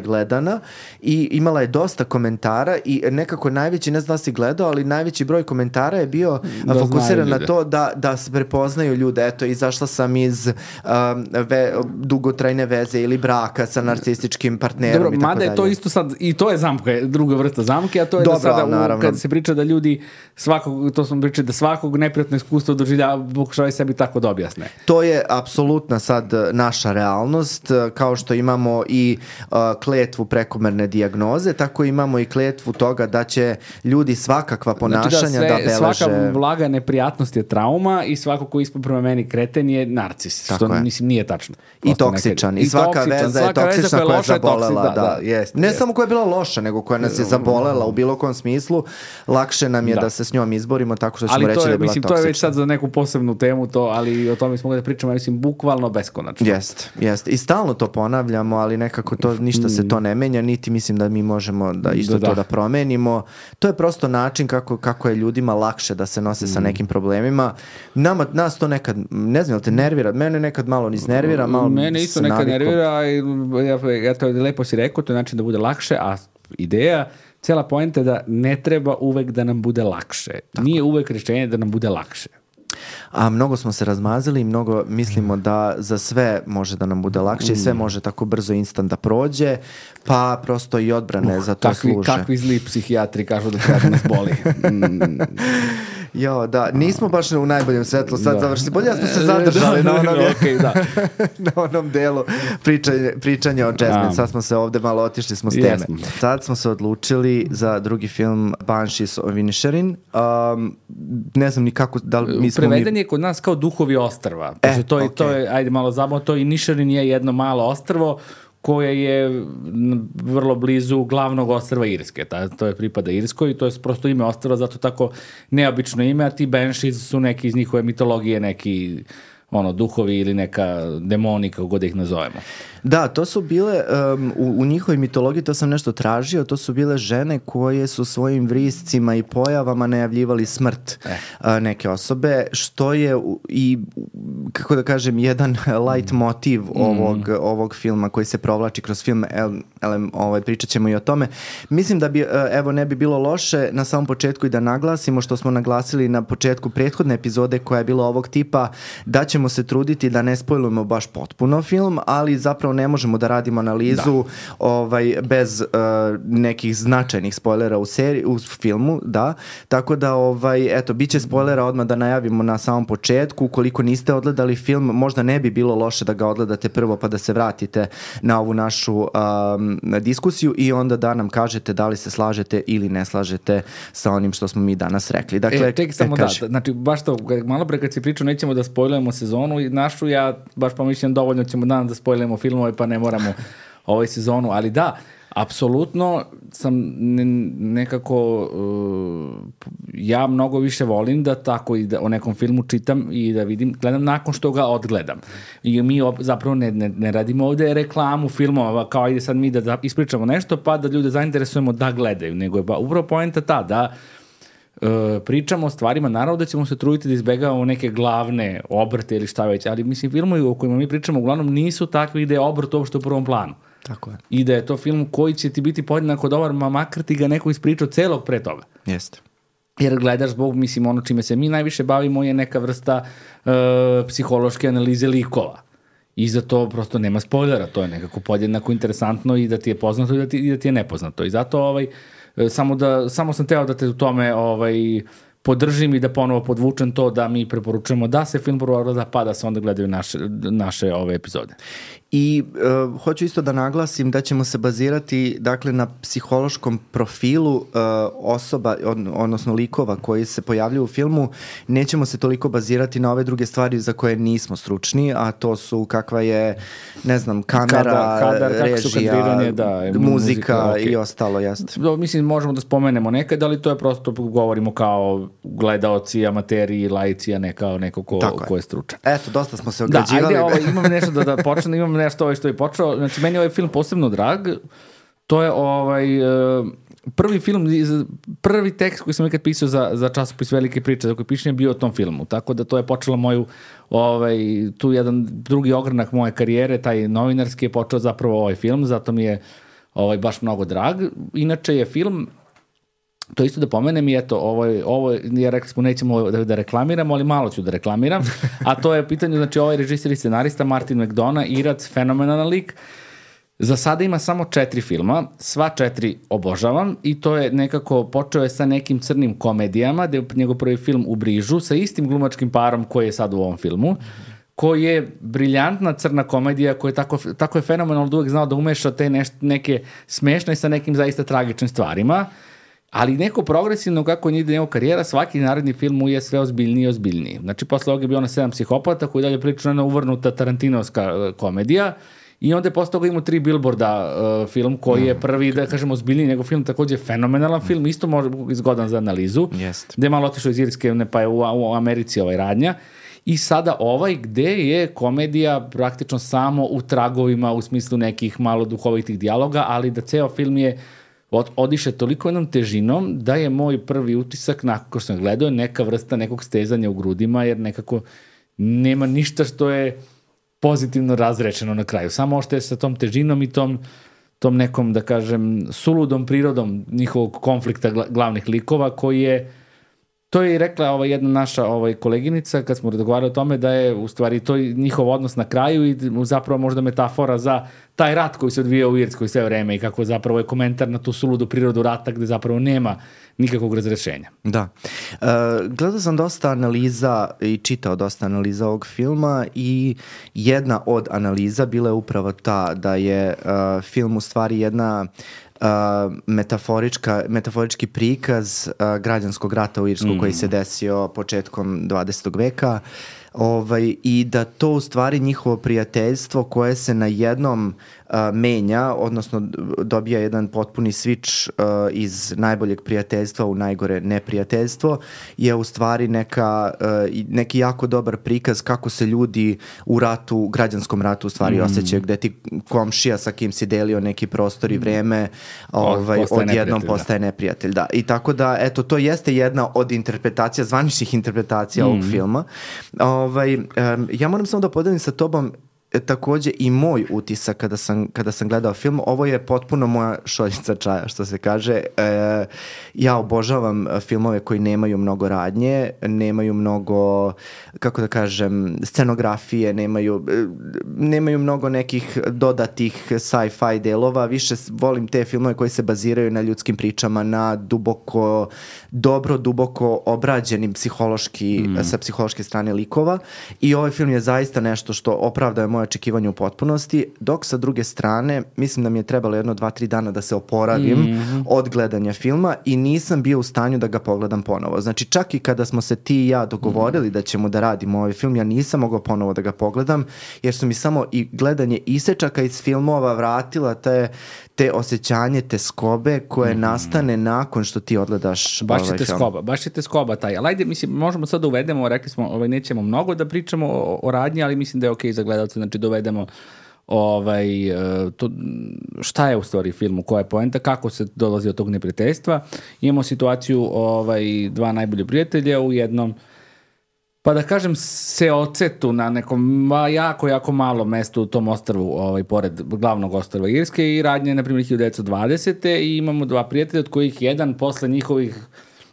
gledana i imala je dosta komentara i nekako najveći, ne znam da si gledao, ali najveći broj komentara je bio fokusiran na to da se prepoznaju ljude. Eto, izašla sam iz dugotrajne veze ili braka sa narcističkim partnerom. Dobro, mada je to isto sad, i to je zamka, druga vrsta zamke, a to je da sada kad se priča da ljudi to smo pričali, da svakog neprijatno iskustvo doživlja, pokušavaju sebi tako da objasne. To je apsolutna sad naša realnost, kao što imamo i kletvu prekomerne dijagnoze, tako imamo i kletvu toga da će ljudi svakakva ponašanja da beleže. Svaka blaga neprijatnost je trauma i svako ko ispod prema meni kreten je narcis, što mislim nije tačno. I toksičan. I svaka veza je toksična koja je zabolela. Ne samo koja je bila loša, nego koja nas je zabolela u bilo kom smislu. Lakše nam je da se s njom izborimo tako što ćemo reći da je bila toksična. To je već sad za neku posebnu temu, ali o tome smo mogli da pričamo, mislim, bukvalno beskonačno. Jeste. I stalno to ponavljamo, ali nekako ništa se to ne menja, niti mislim da mi možemo da isto to da promenimo. To je prosto način kako je ljudima lakše da se nose sa nekim problemima. Nas to nekad, ne znam, te nervira. Mene nekad malo iznervira, malo mene isto nekad nervira i ja to lepo si rekao, to je način da bude lakše, a ideja, cijela poenta je da ne treba uvek da nam bude lakše. Nije uvek rješenje da nam bude lakše. A mnogo smo se razmazili i mnogo mislimo da za sve može da nam bude lakše i sve može tako brzo instant da prođe, pa prosto i odbrane za to služe. Kakvi zli psihijatri kažu da treba da nas boli. Nismo baš u najboljem svetlu sad završili. Bolje smo se zadržali na onom delu pričanja o Jasmine. Sad smo se ovde malo otišli smo s teme. Sad smo se odlučili za drugi film Banshees of Inisherin. Ne znam ni kako, da li mi smo... Preveden je kod nas kao Duhovi ostrva. To je, ajde malo zabavno, to Inisherin je jedno malo ostrvo koje je vrlo blizu glavnog ostrva Irske. To je pripada Irskoj i to je prosto ime ostrva, zato tako neobično ime, a ti Banshees su neki iz njihove mitologije, neki duhovi ili neka demoni, kako god ih nazovemo. Da, to su bile, u njihovoj mitologiji, to sam nešto tražio, to su bile žene koje su svojim vriscima i pojavama najavljivali smrt neke osobe, što je i, kako da kažem, jedan light motiv ovog filma koji se provlači kroz film, pričat ćemo i o tome. Mislim da bi, ne bi bilo loše na samom početku i da naglasimo što smo naglasili na početku prethodne epizode koja je bila ovog tipa, da ćemo se truditi da ne spojlujemo baš potpuno film, ali zapravo ne možemo da radimo analizu bez nekih značajnih spoilera u filmu, tako da bit će spoilera odmah da najavimo na samom početku. Ukoliko niste odgledali film, možda ne bi bilo loše da ga odgledate prvo pa da se vratite na ovu našu diskusiju i onda da nam kažete da li se slažete ili ne slažete sa onim što smo mi danas rekli. Dakle, znači baš to, malo pre kad si pričao nećemo da spoilujemo sezonu i našu, ja baš pomišljam dovoljno ćemo danas da spoilujemo filmove pa ne moramo sezonu, ali da, apsolutno sam nekako ja mnogo više volim da tako i da o nekom filmu čitam i da vidim, gledam nakon što ga odgledam. I mi zapravo ne radimo ovde reklamu filmova kao ide sad mi da ispričamo nešto pa da ljude zainteresujemo da gledaju, nego je upravo poenta ta da pričamo o stvarima, naravno da ćemo se truditi da izbegavamo neke glavne obrte ili šta već, ali mislim filmovi o kojima mi pričamo uglavnom nisu takvi da je obrt uopšte u prvom planu. Tako je. I da je to film koji će ti biti podjednako dobar, makar ti ga neko ispričao celog pre toga. Jeste. jer gledaš zbog, mislim, ono čime se mi najviše bavimo je neka vrsta psihološke analize likova. I za to prosto nema spoilera, to je nekako podjednako interesantno i da ti je poznato i da ti je nepoznato. I zato samo sam teo da te u tome podržim i da ponovo podvučem to da mi preporučujemo da se film prvo gleda, pa da se onda gledaju naše ove epizode. I hoću isto da naglasim da ćemo se bazirati dakle na psihološkom profilu osoba, odnosno likova koji se pojavljuju u filmu. Nećemo se toliko bazirati na ove druge stvari za koje nismo stručni, a to su kakva je, ne znam, kamera, kadar, režija, muzika okay. I ostalo, jeste. Mislim, možemo da spomenemo nekad, ali to je prosto, govorimo kao gledaoci, amateri, laici, a ne kao neko ko je stručan. Eto, dosta smo se ograđivali. Da, ajde, imam nešto da počnem, imam nešto što je počeo. Znači, meni je ovaj film posebno drag. To je prvi tekst koji sam nekad pisao za časopis Velike priče, za koji pišem je bio o tom filmu. Tako da to je počelo moju, tu jedan drugi ogranak moje karijere, taj novinarski je počeo zapravo ovaj film, zato mi je baš mnogo drag. Inače je film, to isto da pomenem i eto, ovo ja rekli smo nećemo da reklamiramo, ali malo ću da reklamiram, a to je pitanje, znači ovaj režiser i scenarista Martin McDonagh, Irac, fenomenalan lik. Za sada ima samo 4 filma, sva 4 obožavam i to je nekako, počeo je sa nekim crnim komedijama, gde je njegov prvi film U brižu, sa istim glumačkim parom koji je sad u ovom filmu, koji je briljantna crna komedija, koja je tako je fenomenalno da uvek znao da umeša te neke smešne sa nekim zaista tragičnim stvarima. Ali neko progresivno kako ide njegov karijera, svaki naredni film mu je sve ozbiljniji i ozbiljniji. Znači, posle ovoga je bio na 7 psihopata, koji dalje priča jedna uvrnuta tarantinovska komedija, i onda je posle toga imao 3 Billboarda film, koji je prvi, da kažemo, ozbiljniji njegov film, takođe fenomenalan film, isto može izgodan za analizu, gde je malo otišao iz Irske, pa je u Americi radnja. I sada gde je komedija praktično samo u tragovima, u smislu nekih malo duhovitih dijaloga, ali da ceo film je odiše toliko jednom težinom da je moj prvi utisak nakon što sam gledao neka vrsta nekog stezanja u grudima, jer nekako nema ništa što je pozitivno razrečeno na kraju. Samo što je sa tom težinom i tom nekom, da kažem, suludom prirodom njihovog konflikta glavnih likova, koji je, to je i rekla jedna naša koleginica kad smo razgovarali o tome, da je u stvari to njihov odnos na kraju i zapravo možda metafora za taj rat koji se odvija u Irskoj sve vreme i kako zapravo je komentar na tu suludu prirodu rata gde zapravo nema nikakvog razrešenja. Da. Gledao sam dosta analiza i čitao dosta analiza ovog filma i jedna od analiza bila je upravo ta da je film u stvari jedna metaforički prikaz građanskog rata u Irsku koji se desio početkom 20. veka i da to u stvari njihovo prijateljstvo koje se na jednom menja, odnosno dobija jedan potpuni switch iz najboljeg prijateljstva u najgore neprijateljstvo, je u stvari neki jako dobar prikaz kako se ljudi u ratu, građanskom ratu u stvari osjećaju, gde ti komšija sa kim si delio neki prostor i vreme odjednom postaje neprijatelj. Da. I tako da, eto, to jeste jedna od interpretacija, zvaničnih interpretacija ovog filma. Ja moram samo da podelim sa tobom takođe i moj utisak kada sam gledao film. Ovo je potpuno moja šoljica čaja, što se kaže. Ja obožavam filmove koji nemaju mnogo radnje, nemaju mnogo, kako da kažem, scenografije, nemaju mnogo nekih dodatih sci-fi delova. Više volim te filmove koji se baziraju na ljudskim pričama, na duboko obrađenim sa psihološke strane likova. I ovaj film je zaista nešto što opravdaje moje očekivanje u potpunosti, dok sa druge strane mislim da mi je trebalo 1-2-3 dana da se oporavim od gledanja filma i nisam bio u stanju da ga pogledam ponovo. Znači, čak i kada smo se ti i ja dogovorili da ćemo da radimo ovaj film, ja nisam mogao ponovo da ga pogledam, jer su mi samo i gledanje isečaka iz filmova vratila te osjećanje, te skobe koje nastane nakon što ti odgledaš ovaj film. Baš je te skoba taj. Ali ajde, mislim, možemo sad da uvedemo, rekli smo, nećemo mnogo da pričamo o radnji, ali mislim da je okej za gledalce, znači dovedemo šta je u stvari filmu, koja je poenta, kako se dolazi od tog neprijateljstva. Imamo situaciju dva najbolje prijatelja u jednom, pa da kažem, se ocetu na nekom jako malo mestu u tom ostrvu, pored glavnog ostrva Irske, i radnje, na primjer, 1920. I imamo dva prijatelja, od kojih jedan posle njihovih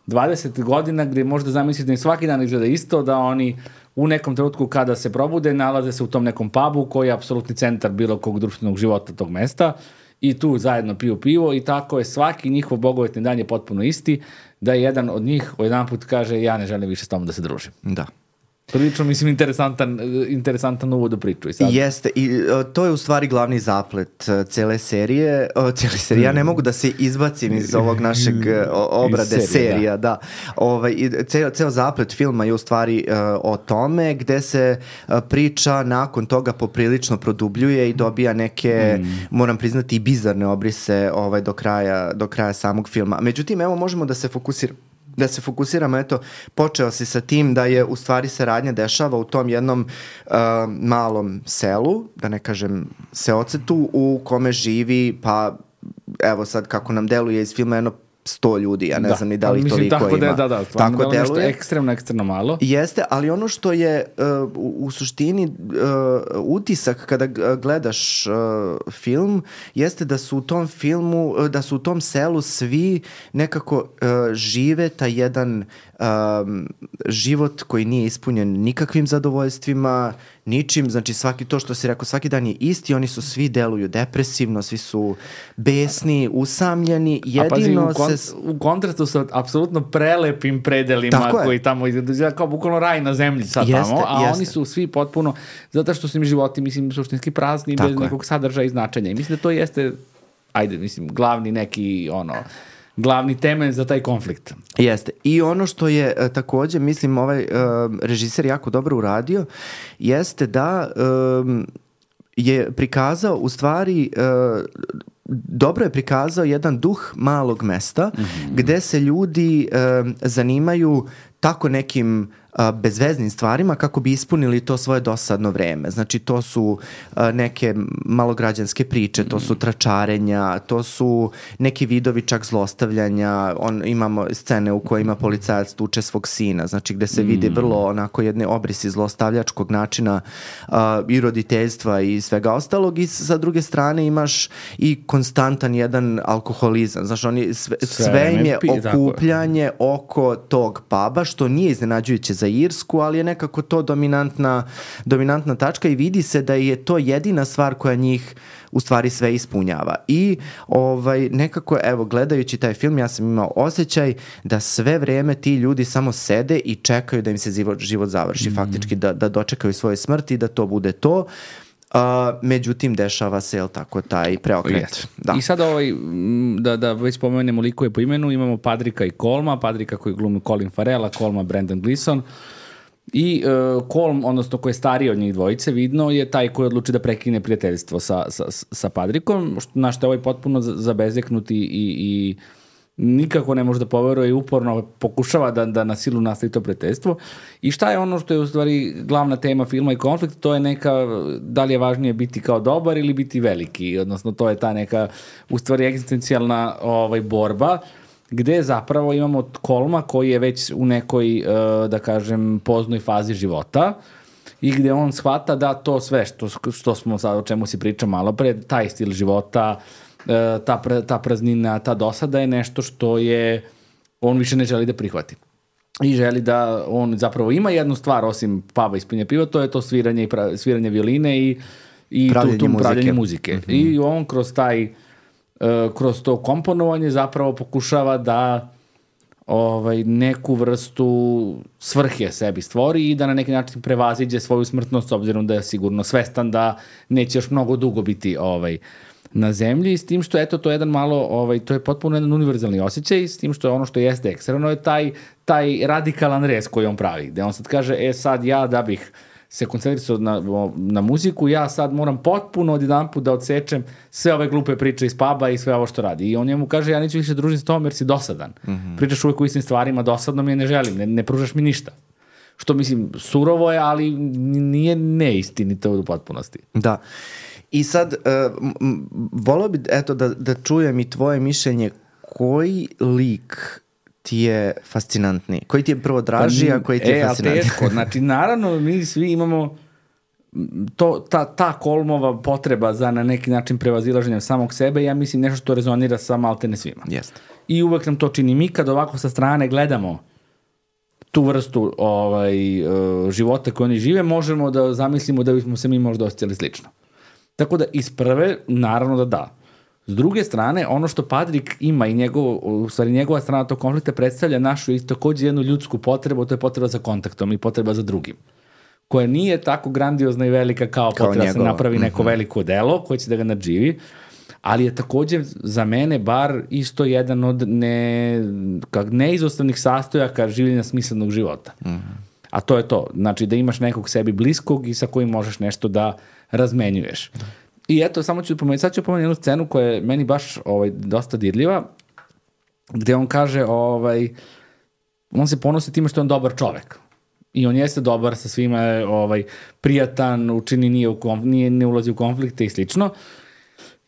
20 godina gde možda zamisliti da im svaki dan izgleda isto, da oni u nekom trenutku kada se probude nalaze se u tom nekom pubu koji je apsolutni centar bilo kog društvenog života tog mesta i tu zajedno piju pivo i tako je svaki njihov bogovetni dan je potpuno isti, da je jedan od njih jedan put kaže ja ne želim više s tomom da se družim. Da. Prilično, mislim, interesantan uvod u priču. Jeste, i to je u stvari glavni zaplet cele serije. Ja ne mogu da se izbacim iz ovog našeg obrade serija. Da. Ceo zaplet filma je u stvari o tome gde se priča nakon toga poprilično produbljuje i dobija neke, moram priznati, bizarne obrise do kraja samog filma. Međutim, evo možemo da se fokusiramo, eto, počeo si sa tim da je u stvari saradnja dešava u tom jednom malom selu, da ne kažem seocetu, u kome živi, pa evo sad kako nam deluje iz filma, 100 ljudi, ja ne znam ni da li toliko tako ima. Tako deluje. Ekstremno malo. Jeste, ali ono što je u suštini utisak kada gledaš film, jeste da su u tom filmu, da su u tom selu svi nekako žive taj jedan život koji nije ispunjen nikakvim zadovoljstvima, ničim, znači to što si rekao, svaki dan je isti, oni su svi deluju depresivno, svi su besni, usamljeni, jedino u kontrastu sa apsolutno prelepim predelima koji tamo izgleda kao bukvalno raj na zemlji sad tamo, a oni su svi potpuno, zato što su im životi, mislim, suštinski prazni, bez nekog sadržaja i značenja. I mislim da to jeste, glavni neki, glavni temelj za taj konflikt. Jeste. I ono što je takođe, mislim, ovaj režiser jako dobro uradio, jeste da je prikazao, u stvari, dobro je prikazao jedan duh malog mesta, gde se ljudi zanimaju tako nekim bezveznim stvarima kako bi ispunili to svoje dosadno vreme. Znači, to su neke malograđanske priče, to su tračarenja, to su neki vidovi čak zlostavljanja. Imamo scene u kojima policajac tuče svog sina, znači gde se vidi vrlo onako jedne obrisi zlostavljačkog načina i roditeljstva i svega ostalog, i sa druge strane imaš i konstantan jedan alkoholizam. Znači, sve im je okupljanje oko tog puba, što nije iznenađujuće za Irsku, ali je nekako to dominantna tačka i vidi se da je to jedina stvar koja njih u stvari sve ispunjava. I nekako, evo, gledajući taj film, ja sam imao osjećaj da sve vreme ti ljudi samo sede i čekaju da im se život završi, faktički da dočekaju svoje smrti i da to bude to. Međutim, dešava se, jel tako, taj preokret. Da. I sad da već pomenemo likove po imenu, imamo Padrika i Colma, Padrika koji glumi Colin Farrell, a Colma Brendan Gleeson. I Colm, odnosno koji je stariji od njih dvojice, vidno je taj koji odluči da prekine prijateljstvo sa Padrikom, na što je ovaj potpuno zabezeknut i nikako ne može da poveruje i uporno pokušava da na silu nastavi to prijateljstvo. I šta je ono što je u stvari glavna tema filma i konflikt, to je neka, da li je važnije biti kao dobar ili biti veliki, odnosno to je ta neka u stvari egzistencijalna borba, gde zapravo imamo Colma koji je već u nekoj, da kažem, poznoj fazi života i gde on shvata da to sve što smo sad, o čemu si pričao malo pre, taj stil života, ta praznina, ta dosada je nešto što je on više ne želi da prihvati. I želi da on zapravo ima jednu stvar osim puba i ispinja piva, to je to sviranje violine i pravljenje muzike. I on kroz to komponovanje zapravo pokušava da neku vrstu svrhe sebi stvori i da na neki način prevaziđe svoju smrtnost, s obzirom da je sigurno svestan da neće još mnogo dugo biti na zemlji, s tim što eto to je jedan malo, to je potpuno jedan univerzalni osjećaj, s tim što je ono što jeste ekstremno je taj radikalan rez koji on pravi, gde on sad kaže, sad ja da bih se koncentrisao na muziku, ja sad moram potpuno odjedanput da odsečem sve ove glupe priče iz puba i sve ovo što radi. I on njemu kaže, ja neću više družiti s tom jer si dosadan. Pričaš uvijek u istim stvarima, dosadno mi je, ne želim, ne pružaš mi ništa. Što mislim, surovo je, ali nije neistinito u potpunosti. Da. I sad, volio bi da čujem i tvoje mišljenje, koji lik ti je fascinantniji? Koji ti je prvo draži, a koji ti je fascinantniji? Teško. Znači, naravno, mi svi imamo ta Kolmova potreba za na neki način prevazilaženjem samog sebe, ja mislim nešto što rezonira sa maltene svima. Jeste. I uvek nam to čini. Mi kad ovako sa strane gledamo tu vrstu života koju oni žive, možemo da zamislimo da bismo se mi možda osjećali slično. Tako da iz prve, naravno da. S druge strane, ono što Padrik ima i njegova strana tog konflikta predstavlja našu i takođe jednu ljudsku potrebu, to je potreba za kontaktom i potreba za drugim, koja nije tako grandiozna i velika kao potreba da se napravi neko veliko delo koje će da ga nadživi, ali je takođe za mene bar isto jedan od neizostavnih sastojaka življenja smislenog života. A to je to. Znači da imaš nekog sebi bliskog i sa kojim možeš nešto da razmenjuješ. I eto, sad ću pomenuti jednu scenu koja je meni baš dosta dirljiva, gde on kaže, on se ponosi time što je on dobar čovek. I on jeste dobar sa svima, prijatan, učini, ne ulazi u konflikte i slično.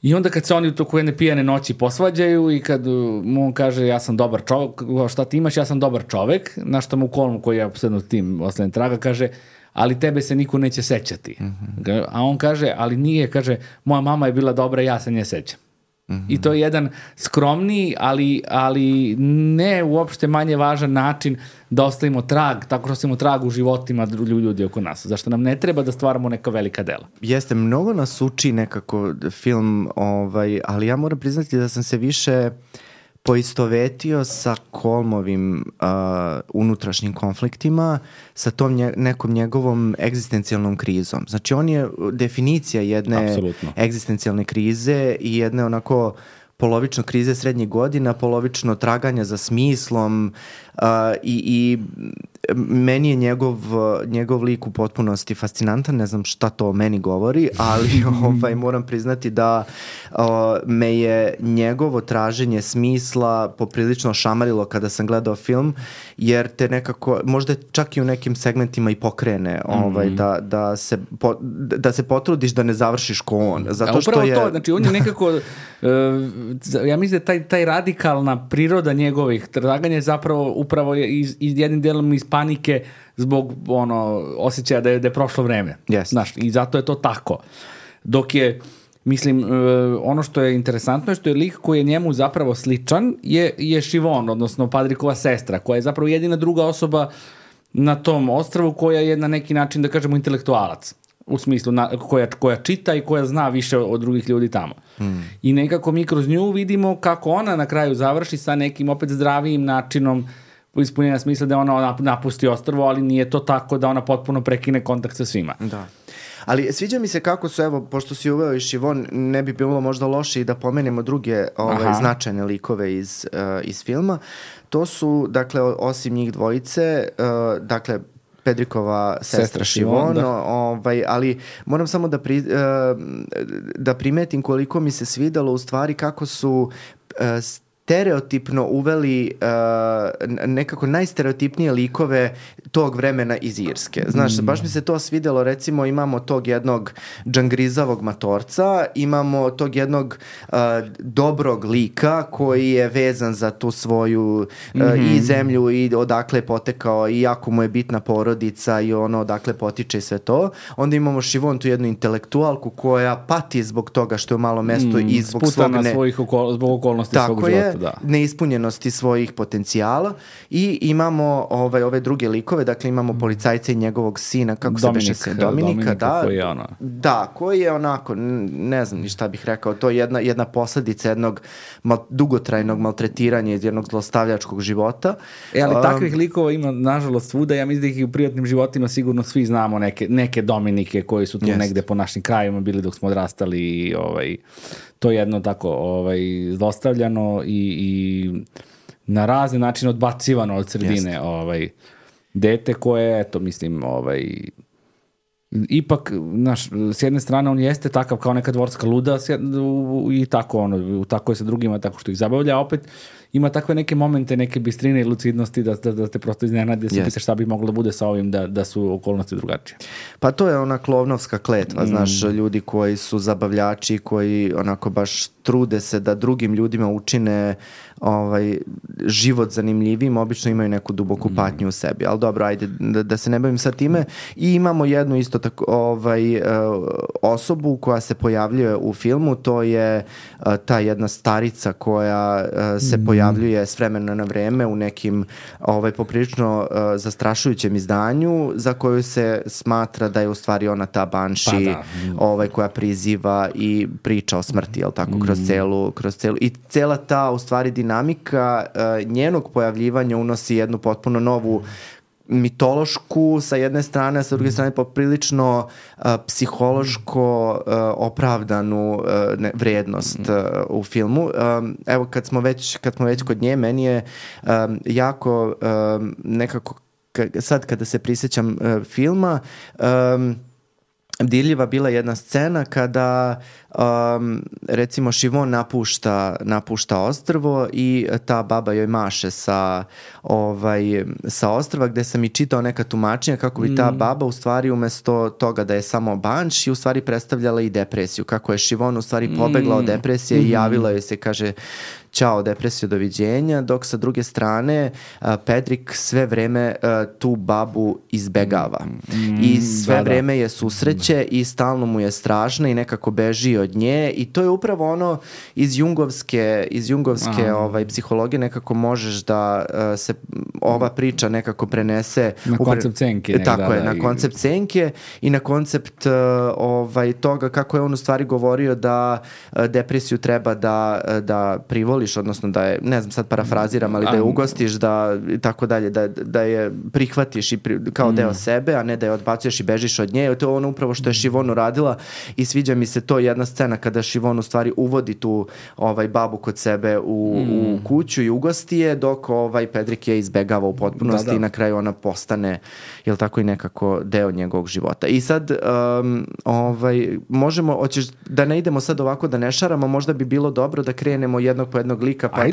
I onda kad se oni u toku jedne pijane noći posvađaju i kad mu on kaže ja sam dobar čovek, šta ti imaš, ja sam dobar čovek, na što mu Kolm koji je apsolutno tim oslednjem traga kaže, ali tebe se niko neće sećati. A on kaže, ali nije, kaže, moja mama je bila dobra, ja se nje sećam. I to je jedan skromniji, ali ne uopšte manje važan način da ostavimo trag, tako što ostavimo trag u životima ljudi oko nas. Zašto nam ne treba da stvaramo neka velika dela. Jeste, mnogo nas uči nekako film, ali ja moram priznati da sam se više poistovetio sa Kolmovim unutrašnjim konfliktima, sa tom nekom njegovom egzistencijalnom krizom. Znači, on je definicija jedne egzistencijalne krize i jedne onako polovično krize srednjih godina, polovično traganja za smislom i meni je njegov lik u potpunosti fascinantan, ne znam šta to o meni govori, ali moram priznati da me je njegovo traženje smisla poprilično šamarilo kada sam gledao film, jer te nekako, možda čak i u nekim segmentima i pokrene da se potrudiš da ne završiš ko on. Zato što upravo to, znači on je nekako ja mislim da taj radikalna priroda njegovih traganja je zapravo upravo jednim delom iz panike zbog osjećaja da je prošlo vreme. Yes. Znaš, i zato je to tako. Dok je, mislim, ono što je interesantno je što je lik koji je njemu zapravo sličan je Siobhan, odnosno Padrikova sestra, koja je zapravo jedina druga osoba na tom ostrvu koja je na neki način, da kažemo, intelektualac. U smislu koja čita i koja zna više od drugih ljudi tamo. I nekako mi kroz nju vidimo kako ona na kraju završi sa nekim opet zdravijim načinom ispunjenja smisla da ona napusti ostrvo, ali nije to tako da ona potpuno prekine kontakt sa svima. Da. Ali sviđa mi se kako su, evo, pošto si uveo i Siobhan, ne bi bilo možda loše i da pomenemo druge značajne likove iz filma. To su, dakle, osim njih dvojice, dakle, Pedrikova sestra Siobhan, ali moram samo da primetim koliko mi se svidalo u stvari kako su stereotipno uveli nekako najstereotipnije likove tog vremena iz Irske. Znaš, baš mi se to svidelo, recimo imamo tog jednog džangrizavog matorca, imamo tog jednog dobrog lika koji je vezan za tu svoju i zemlju i odakle je potekao i jako mu je bitna porodica i ono odakle potiče i sve to. Onda imamo Siobhan, tu jednu intelektualku koja pati zbog toga što je u malo mesto i zbog zbog okolnosti svog života. Da. Neispunjenosti svojih potencijala i imamo ove druge likove, dakle imamo policajca i njegovog sina, kako se beše se Dominika, da, koji je ono. Da, koji je onako, ne znam ni šta bih rekao, to je jedna posledica jednog dugotrajnog maltretiranja iz jednog zlostavljačkog života. Ali takvih likova ima nažalost svuda, ja mislim da ih i u privatnim životima sigurno svi znamo neke Dominike koji su tu negde po našim krajima bili dok smo odrastali i to je jedno tako zlostavljano i na razne načine odbacivano od sredine dete koje, eto, mislim, ipak, s jedne strane on jeste takav kao neka dvorska luda i tako, tako je sa drugima, tako što ih zabavlja, a opet ima takve neke momente, neke bistrine i lucidnosti da te prosto iznenade, se pitaš šta bi moglo da bude sa ovim da su okolnosti drugačije. Pa to je ona klovnovska kletva, znaš, ljudi koji su zabavljači, koji onako baš trude se da drugim ljudima učine život zanimljivim, obično imaju neku duboku patnju u sebi, ali dobro, ajde da se ne bavim sa time. I imamo jednu isto tako osobu koja se pojavljuje u filmu, to je ta jedna starica koja se pojavljuje s vremena na vreme u nekim poprilično zastrašujućem izdanju, za koju se smatra da je u stvari ona ta banši koja priziva i priča o smrti, jel tako, kroz celu i cela ta u stvari dinamika njenog pojavljivanja unosi jednu potpuno novu mitološku sa jedne strane, a sa druge strane poprilično psihološko opravdanu vrednost u filmu. Evo, kad smo već kod nje, meni je jako nekako, sad kada se prisjećam filma, dirljiva bila jedna scena kada recimo Siobhan napušta ostrvo i ta baba joj maše sa ostrva, gde sam i čitao neka tumačenja kako bi ta baba u stvari umesto toga da je samo banš i u stvari predstavljala i depresiju, kako je Siobhan u stvari pobegla od depresije i javila joj se, kaže ćao depresiju, doviđenja, dok sa druge strane Pedrik sve vreme tu babu izbegava i sve vreme je susreće i stalno mu je strašno i nekako beži od nje i to je upravo ono iz jungovske psihologije, nekako možeš da se ova priča nekako prenese na koncept senke. Tako je, na koncept senke i na koncept toga kako je on u stvari govorio da depresiju treba da privoliš, odnosno da je, ne znam sad parafraziram, ali da je ugostiš, da tako dalje, da je prihvatiš i kao deo sebe, a ne da je odbacuješ i bežiš od nje. To je ono upravo što je Siobhan uradila i sviđa mi se to jedna scena kada Siobhan u stvari uvodi tu babu kod sebe u kuću i ugosti je, dok Pedrik je izbegava u potpunosti i na kraju ona postane, jel tako, i nekako deo njegovog života. I sad možemo, hoćeš da ne idemo sad ovako da ne šaramo, možda bi bilo dobro da krenemo jednog po jednog lika pa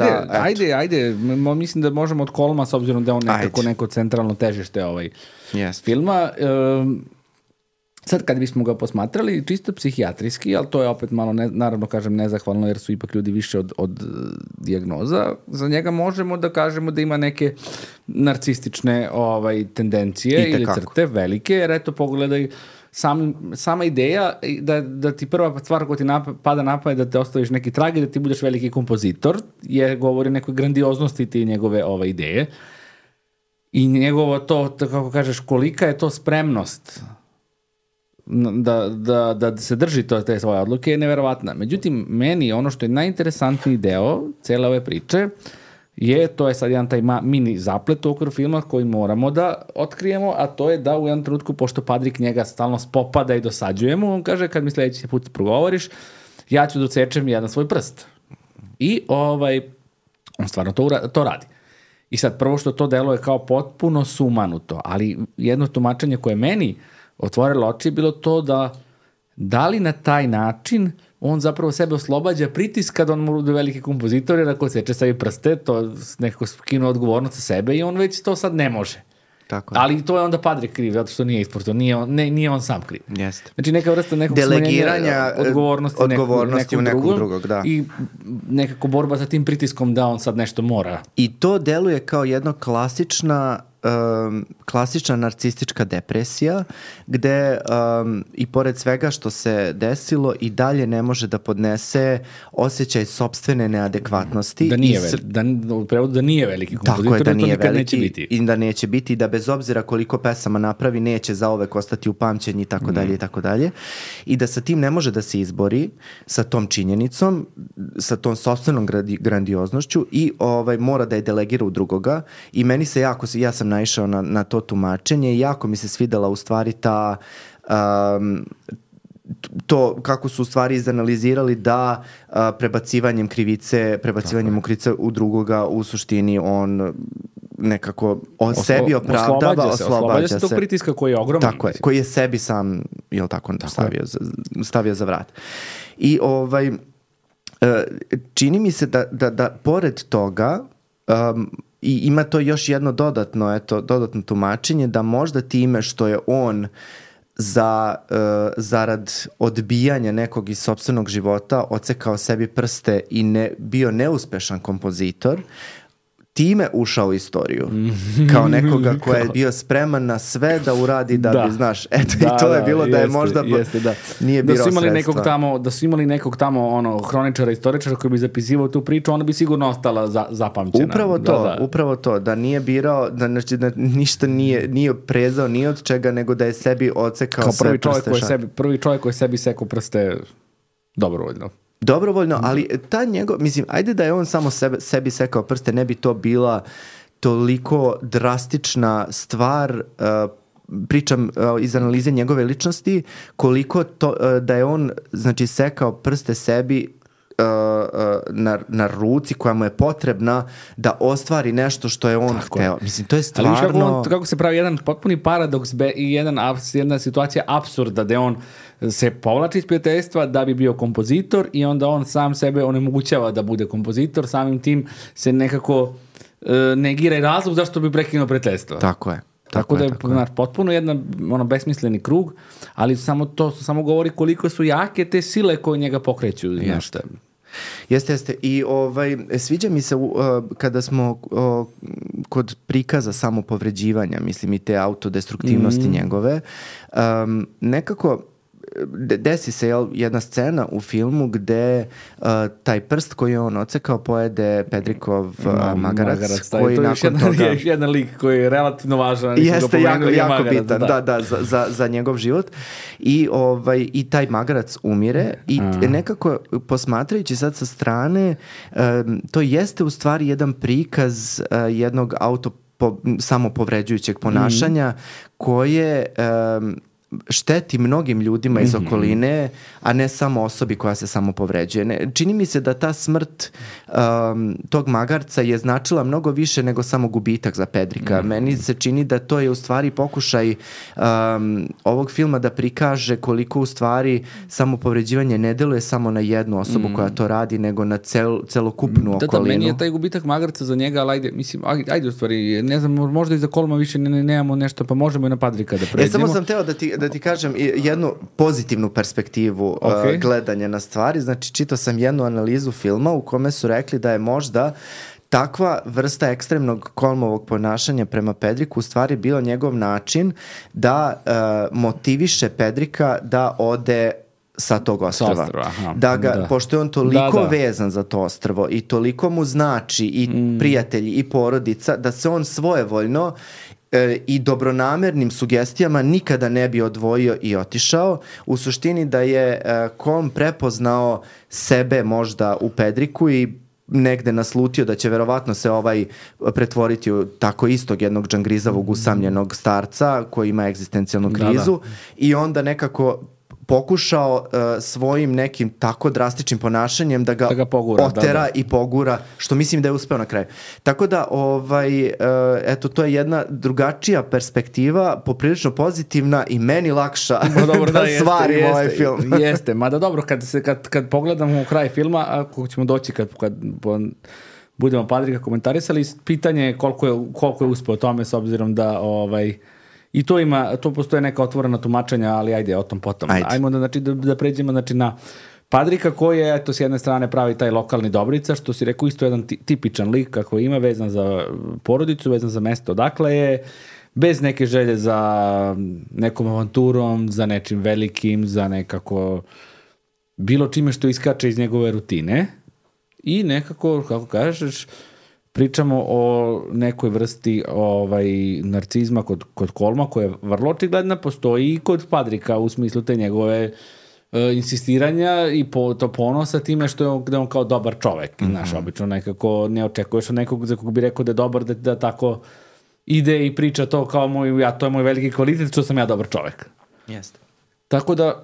Ajde, mislim da možemo od Kolma, s obzirom da je on neko centralno težište filma. Sad kad bismo ga posmatrali čisto psihijatrijski, ali to je opet malo, naravno kažem nezahvalno jer su ipak ljudi više od dijagnoza, za njega možemo da kažemo da ima neke narcistične tendencije ili crte velike, jer eto pogledaj, sama ideja da ti prva stvar koja ti pada na pamet da te ostaviš neki trag i da ti budeš veliki kompozitor, govori o nekoj grandioznosti ti njegove ideje i njegovo to, kako kažeš, kolika je to spremnost da se drži te svoje odluke je neverovatna. Međutim, meni ono što je najinteresantniji deo cele ove priče to je sad jedan taj mini zaplet u okviru filma koji moramo da otkrijemo, a to je da u jednom trenutku, pošto Padrik njega stalno spopada i dosađuje mu, on kaže, kad mi sledeći put progovoriš, ja ću da odsečem jedan svoj prst. I on stvarno to radi. I sad, prvo što to deluje kao potpuno sumanuto, ali jedno tumačenje koje meni otvorilo oči je bilo to da li na taj način on zapravo sebe oslobađa pritiska da on bude veliki kompozitor, jer ako seče sebi prste, to nekako skinu odgovornost sa sebe i on već to sad ne može. Tako. Ali to je onda Padrik kriv, zato što nije isporto, nije on sam kriv. Jeste. Znači neka vrsta nekog delegiranja odgovornosti u nekog drugog, da. I nekako borba sa tim pritiskom da on sad nešto mora. I to deluje kao jedna klasična narcistička depresija gde i pored svega što se desilo i dalje ne može da podnese osjećaj sopstvene neadekvatnosti. U prevodu da nije veliki kompozitor, tako je, da nije veliki veliki neće biti. I da neće biti, da bez obzira koliko pesama napravi neće zauvek ostati upamćen i tako dalje i tako dalje. I da sa tim ne može da se izbori, sa tom činjenicom, sa tom sopstvenom grandioznošću i mora da je delegira u drugoga. I meni se ja sam naišao na to tumačenje i jako mi se svidela u stvari ta to kako su u stvari izanalizirali da prebacivanjem krivice u drugoga u suštini on nekako sebi opravdava, oslobađa se tog pritiska koji je ogroman. Tako je, koji je sebi sam, jel tako, stavio za vrat. I čini mi se da pored toga I ima to još jedno dodatno tumačenje da možda time što je on zarad odbijanja nekog iz sopstvenog života odsekao sebi prste i bio neuspešan kompozitor, time ušao u istoriju. Kao nekoga ko je bio spreman na sve da uradi da bi, znaš, eto i to je bilo da je možda nije birao sredstva. Da su imali nekog tamo hroničara, istoričara koji bi zapisivao tu priču, ona bi sigurno ostala zapamćena. Upravo to, da nije birao, da ništa nije prezao ni od čega, nego da je sebi odsekao sve prste. Prvi čovjek koji sebi sekao prste dobrovoljno, ali ta njegov, mislim, ajde da je on samo sebi sekao prste, ne bi to bila toliko drastična stvar, pričam iz analize njegove ličnosti, koliko to, da je on, znači, sekao prste sebi na ruci koja mu je potrebna da ostvari nešto što je on hteo. Mislim, to je stvarno... Ali kako se pravi jedan potpuni paradoks i jedna situacija apsurda da on se povlači iz prijateljstva da bi bio kompozitor i onda on sam sebe onemogućava da bude kompozitor, samim tim se nekako negira i razlog zašto bi prekinuo prijateljstvo. Tako je. Tako da je potpuno jedan besmisleni krug, ali samo govori koliko su jake te sile koje njega pokreću. Jeste. I sviđa mi se kada smo kod prikaza samopovređivanja, mislim, i te autodestruktivnosti njegove, nekako desi se jedna scena u filmu gde taj prst koji je on odsekao pojede Pedrikov magarac. Koji nakon toga... Je jedan lik koji je relativno važan. Jeste, jako bitan, za njegov život. I taj magarac umire i nekako posmatrajući sad sa strane, to jeste u stvari jedan prikaz jednog samopovređujućeg ponašanja koje... šteti mnogim ljudima iz okoline, a ne samo osobi koja se samo povređuje. Čini mi se da ta smrt tog magarca je značila mnogo više nego samo gubitak za Pedrika. Meni se čini da to je u stvari pokušaj ovog filma da prikaže koliko u stvari samopovređivanje ne deluje samo na jednu osobu koja to radi, nego na celokupnu okolinu. Meni je taj gubitak magarca za njega, ali ajde u stvari, ne znam, možda i za Kolma više nemamo nešto, pa možemo i na Padrika da pređemo. Samo sam teo da ti kažem jednu pozitivnu perspektivu gledanja na stvari. Znači, čitao sam jednu analizu filma u kome su rekli da je možda takva vrsta ekstremnog Kolmovog ponašanja prema Pedriku u stvari bio njegov način da motiviše Pedrika da ode sa tog ostrva. Pošto je on toliko vezan za to ostrvo i toliko mu znači i prijatelji i porodica, da se on svojevoljno i dobronamernim sugestijama nikada ne bi odvojio i otišao. U suštini da je Kolm prepoznao sebe možda u Pedriku i negde naslutio da će verovatno se pretvoriti u tako istog jednog džangrizavog usamljenog starca koji ima egzistencijalnu krizu i onda nekako pokušao svojim nekim tako drastičnim ponašanjem da ga pogura, otera i pogura, što mislim da je uspeo na kraju. Tako da, eto, to je jedna drugačija perspektiva, poprilično pozitivna i meni lakša da svarim ovaj film. Jeste, mada dobro, kad pogledamo u kraj filma, ako ćemo doći kad budemo Padrika komentarisali, pitanje je koliko je uspeo tome, s obzirom da i to postoje neka otvorena tumačenja, ali ajde, o tom potom. Ajmo da pređemo na Padrika koji je, eto, s jedne strane pravi taj lokalni Dobrica, što si rekao, isto jedan tipičan lik kako ima, vezan za porodicu, vezan za mesto odakle je, bez neke želje za nekom avanturom, za nečim velikim, za nekako bilo čime što iskače iz njegove rutine i nekako, kako kažeš, pričamo o nekoj vrsti narcizma kod Kolma koja je vrlo očigledna, postoji i kod Padrika u smislu te njegove insistiranja i to ponosa time što je on kao dobar čovek. Znaš, obično nekako ne očekuješ od nekog za kog bi rekao da je dobar, da tako ide i priča to kao to je moj veliki kvalitet, što sam ja dobar čovek. Jeste. Tako da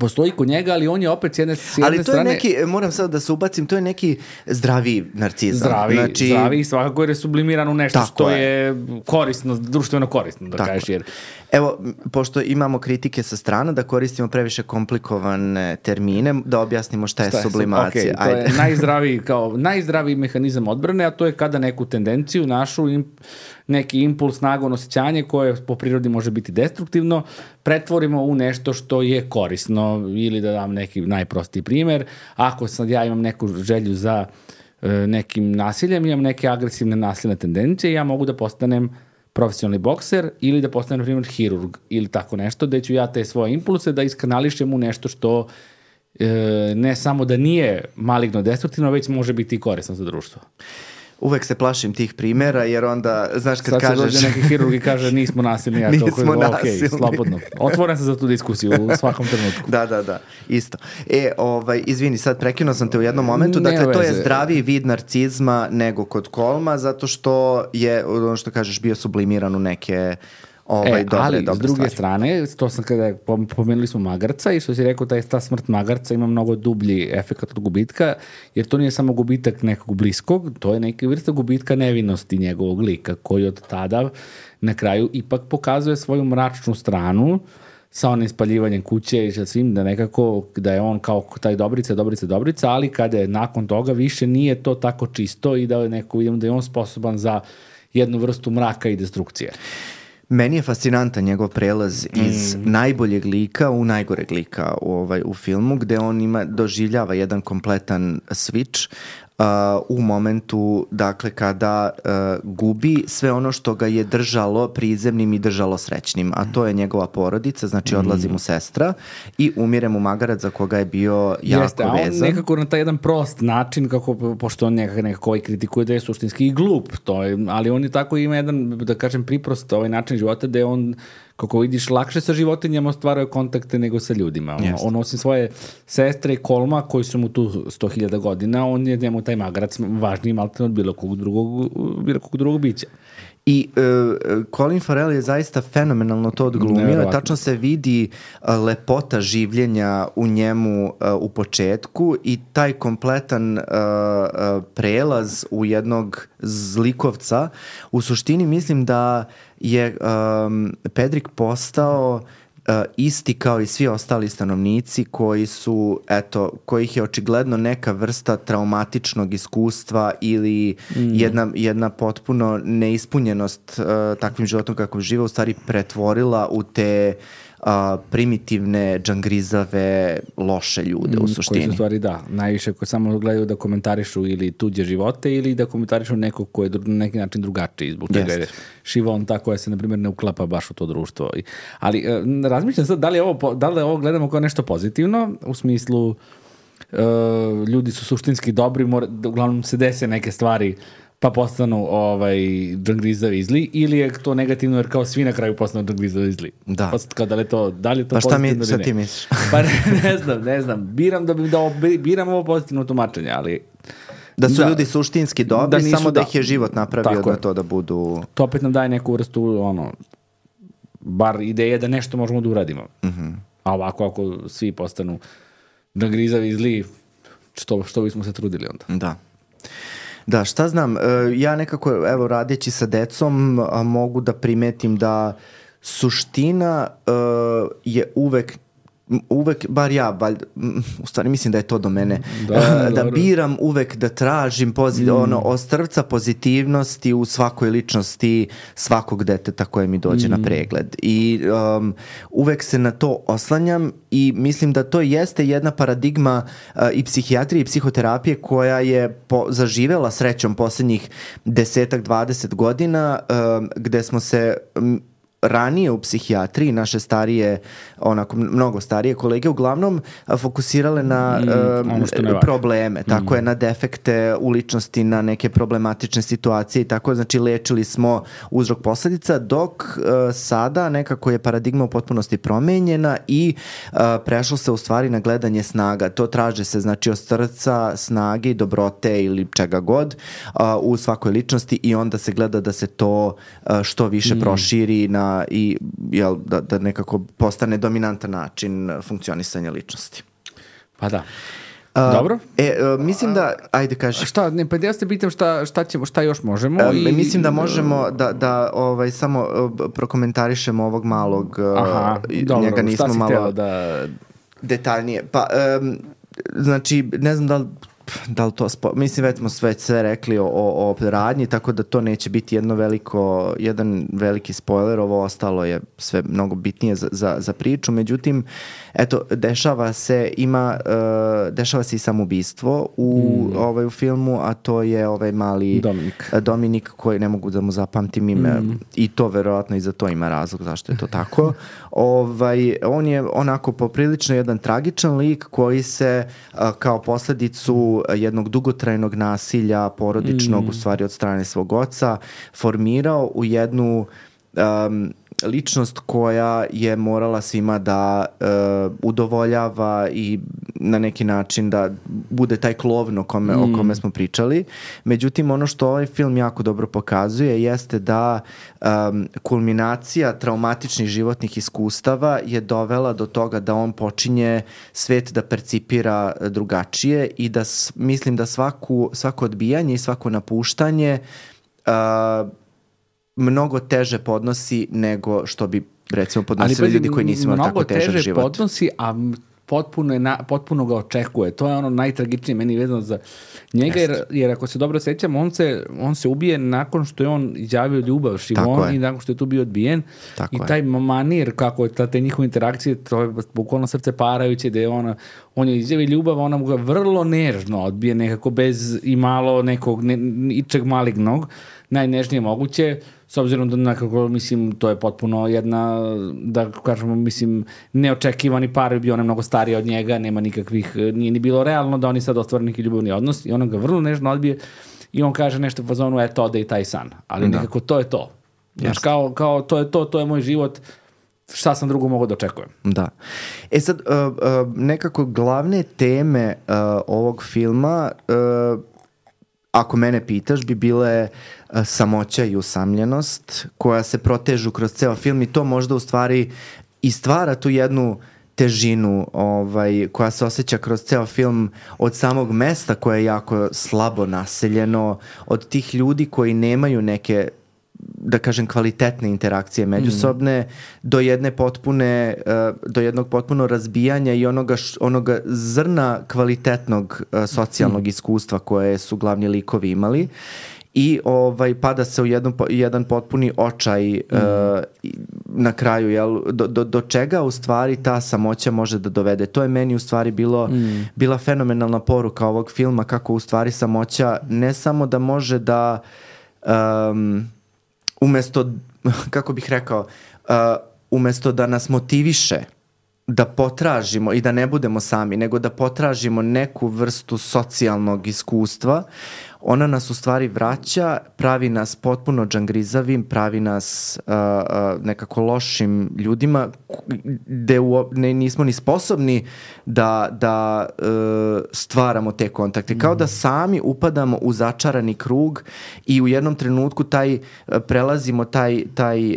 postoji kod njega, ali on je opet s jedne strane... Ali to je neki, moram sad da se ubacim, to je neki zdraviji narcizam. Zdravi, svakako jer je sublimiran u nešto što je korisno, društveno korisno, da kažeš. Jer... Evo, pošto imamo kritike sa strana da koristimo previše komplikovane termine, da objasnimo šta je sublimacija. Okay, to je najzdraviji mehanizam odbrane, a to je kada neku tendenciju, neki impuls, nagon, osjećanje koje po prirodi može biti destruktivno, pretvorimo u nešto što je korisno. Ili da dam neki najprostiji primjer, ako sad ja imam neku želju za nekim nasiljem, imam neke agresivne nasilne tendencije, ja mogu da postanem profesionalni bokser ili da postanem, na primjer, hirurg ili tako nešto, da ću ja te svoje impulse da iskanališem u nešto što ne samo da nije maligno destruktivno, već može biti i korisno za društvo. Uvek se plašim tih primjera, jer onda, znaš, kad kažeš... Sad se dođe neki hirurg i kaže nismo nasilni, ja nismo nasilni. Okay, slobodno. Otvoren sam za tu diskusiju u svakom trenutku. Da, isto. Izvini, sad prekinuo sam te u jednom momentu, dakle, to je zdraviji vid narcizma nego kod Kolma, zato što je, ono što kažeš, bio sublimiran u neke... ali s druge strane, to sam kada pomenuli smo magarca i što si rekao, ta smrt magarca ima mnogo dublji efekt od gubitka, jer to nije samo gubitak nekog bliskog, to je neka vrsta gubitka nevinosti njegovog lika, koji od tada na kraju ipak pokazuje svoju mračnu stranu sa onim spaljivanjem kuće i sa svim, da nekako, da je on kao taj Dobrica, ali kada je nakon toga više nije to tako čisto i da je neko, vidimo da je on sposoban za jednu vrstu mraka i destrukcije. Meni je fascinantan njegov prelaz iz najboljeg lika u najgoreg lika u filmu, gde on doživljava jedan kompletan switch u momentu, dakle, kada gubi sve ono što ga je držalo prizemnim i držalo srećnim, a to je njegova porodica, znači odlazi mu sestra i umire mu magarac za koga je bio jako vezan. Jeste, a on nekako na taj jedan prost način, pošto on nekako kritikuje da je suštinski i glup, ali on je tako ima jedan, da kažem, priprost način života gde on, kako vidiš, lakše sa životinjama ostvaruje kontakte nego sa ljudima. On osim svoje sestre i Kolma, koji su mu tu 100.000 godina, on je njemu taj magarac važniji maltene od bilo kog drugog bića. I Colin Farrell je zaista fenomenalno to odglumio. Tačno se vidi lepota življenja u njemu u početku i taj kompletan prelaz u jednog zlikovca. U suštini mislim da je Pedrick postao isti kao i svi ostali stanovnici kojih je očigledno neka vrsta traumatičnog iskustva ili jedna potpuno neispunjenost takvim životom kakvom žive u stvari pretvorila u te primitivne, džangrizave, loše ljude u suštini. Koji su stvari, najviše koji samo gledaju da komentarišu ili tuđe živote ili da komentarišu nekog ko je na neki način drugačiji, zbog čega je šivonta koja se, na primjer, ne uklapa baš u to društvo. Ali razmišljam sad, da li ovo gledamo kao nešto pozitivno, u smislu ljudi su suštinski dobri, uglavnom se dese neke stvari pa postanu džangrizavi zli, ili je to negativno jer kao svi na kraju postanu džangrizavi zli? Da. Da li je to pa pozitivno? Šta ti misliš? Pa ne znam. Biram ovo pozitivno tumačenje, ali... Da su ljudi suštinski dobri, samo da ih je život napravio da to da budu... To opet nam daje neku vrstu, bar ideje da nešto možemo da uradimo. A ovako, ako svi postanu džangrizavi zli, što bismo se trudili onda? Da, šta znam, ja nekako, radeći sa decom, mogu da primetim da suština je uvek, bar ja, u stvari mislim da je to do mene, da biram uvek, da tražim ostrvca pozitivnosti u svakoj ličnosti svakog deteta koje mi dođe na pregled. I uvek se na to oslanjam i mislim da to jeste jedna paradigma i psihijatrije i psihoterapije koja je zaživela srećom posljednjih 10-20 godina, gde smo se ranije u psihijatriji, naše starije, mnogo starije kolege, uglavnom fokusirale na probleme, tako je, na defekte u ličnosti, na neke problematične situacije i tako, znači lečili smo uzrok posledica, dok sada nekako je paradigma u potpunosti promenjena i prešlo se u stvari na gledanje snaga. To traže se, znači, od srca, snage i dobrote ili čega god u svakoj ličnosti i onda se gleda da se to što više proširi na i da nekako postane dominantan način funkcionisanja ličnosti. Pa da. Dobro. Mislim da, ajde kaži. Šta, ne, pa ja se pitam šta još možemo. Mislim da možemo da samo prokomentarišemo ovog malog, njega nismo malo detaljnije. Pa, znači, ne znam da li to, mislim već smo sve rekli o radnji, tako da to neće biti jedan veliki spoiler, ovo ostalo je sve mnogo bitnije za priču, međutim, eto, dešava se i samoubistvo u filmu, a to je ovaj mali Dominik koji ne mogu da mu zapamtim ime i to verovatno i za to ima razlog zašto je to tako. On je onako poprilično jedan tragičan lik koji se kao posledicu jednog dugotrajnog nasilja porodičnog, u stvari od strane svog oca, formirao u jednu ličnost koja je morala svima da udovoljava i na neki način da bude taj klovn o kome smo pričali. Međutim, ono što ovaj film jako dobro pokazuje jeste da kulminacija traumatičnih životnih iskustava je dovela do toga da on počinje svet da percipira drugačije i da mislim da svako odbijanje i svako napuštanje mnogo teže podnosi nego što bi recimo podnosili ljudi koji nisu imali tako težak život. Mnogo teže podnosi, a potpuno ga očekuje. To je ono najtragičnije meni vezano za njega, jer ako se dobro sećam, on se ubije nakon što je on izjavio ljubav Šimon i nakon što je tu bio odbijen. I taj manir, kako je te njihove interakcije, to je bukvalno srce parajuće, da je on je izjavio ljubav, ona mu ga vrlo nežno odbije, nekako bez i malo nekog ičeg malignog, najnežnije moguće, s obzirom da nekako, mislim, to je potpuno jedna, da kažemo, mislim, neočekivani par, je bio on mnogo stariji od njega, nema nikakvih, nije ni bilo realno da oni sad ostvore neki ljubavni odnos i on ga vrlo nežno odbije i on kaže nešto u fazonu, eto, ode i taj san, ali nekako to je to. Znaš, kao to je moj život, šta sam drugo mogu da očekujem. Da. Sad, nekako glavne teme ovog filma, ako mene pitaš, bi bile samoća i usamljenost koja se protežu kroz ceo film i to možda u stvari i stvara tu jednu težinu koja se osjeća kroz ceo film od samog mesta koje je jako slabo naseljeno, od tih ljudi koji nemaju neke, da kažem, kvalitetne interakcije međusobne, do jednog potpuno razbijanja i onoga zrna kvalitetnog socijalnog iskustva koje su glavni likovi imali. I pada se u jedan potpuni očaj na kraju, jel, do čega u stvari ta samoća može da dovede. To je meni u stvari bila fenomenalna poruka ovog filma, kako u stvari samoća ne samo da može da umesto, kako bih rekao, umesto da nas motiviše da potražimo i da ne budemo sami, nego da potražimo neku vrstu socijalnog iskustva, ona nas u stvari vraća, pravi nas potpuno džangrizavim, pravi nas nekako lošim ljudima gde nismo ni sposobni da stvaramo te kontakte. Kao da sami upadamo u začarani krug i u jednom trenutku prelazimo taj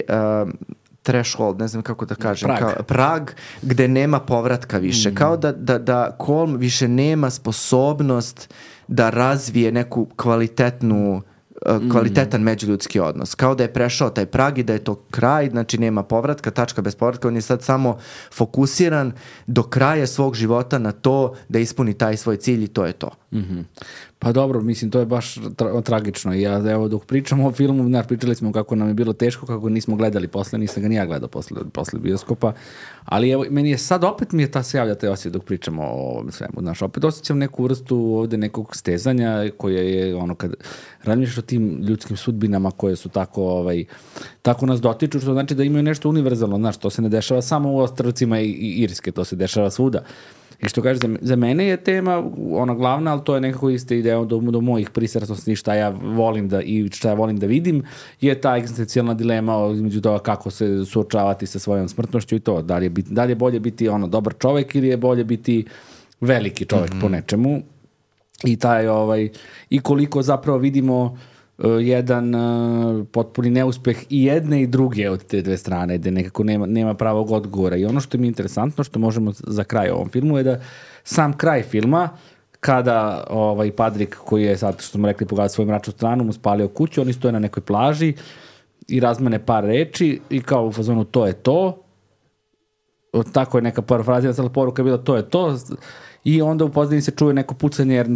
threshold, ne znam kako da kažem, prag gde nema povratka više. Kao da Colm više nema sposobnost da razvije neku kvalitetan međuljudski odnos. Kao da je prešao taj prag i da je to kraj, znači nema povratka, tačka bez povratka, on je sad samo fokusiran do kraja svog života na to da ispuni taj svoj cilj i to je to. Pa dobro, mislim, to je baš tragično. Evo, dok pričamo o filmu, pričali smo kako nam je bilo teško, kako nismo gledali posle, nisam ga ni ja gledao posle bioskopa, ali evo, meni je sad opet se javlja taj osjećaj dok pričamo o svemu. Znaš, opet osjećam neku vrstu ovde nekog stezanja koje je kad razmišljaš o tim ljudskim sudbinama koje su tako nas dotiču, što znači da imaju nešto univerzalno. Znaš, to se ne dešava samo u Ostrvcima i Irske, to se dešava svuda. I što kažeš, za mene je tema ona glavna, ali to je nekako ista ideja do mojih pristrasnosti, šta ja volim šta ja volim da vidim, je ta egzistencijalna dilema između toga kako se suočavati sa svojom smrtnošću i to. Da li je bolje biti dobar čovek ili je bolje biti veliki čovek po nečemu. I i koliko zapravo vidimo jedan potpuni neuspeh i jedne i druge od te dve strane, gde nekako nema pravog odgovora. I ono što mi je interesantno, što možemo za kraj ovom filmu, je da sam kraj filma, kada Padrik, koji je sad, što smo rekli, pogledao svoju mračnu stranu, mu spalio kuću, oni stoje na nekoj plaži i razmene par reči i kao u fazonu to je to. Tako je neka parafrazija, cela poruka je bila to je to. I onda u pozadini se čuje neko pucanje jer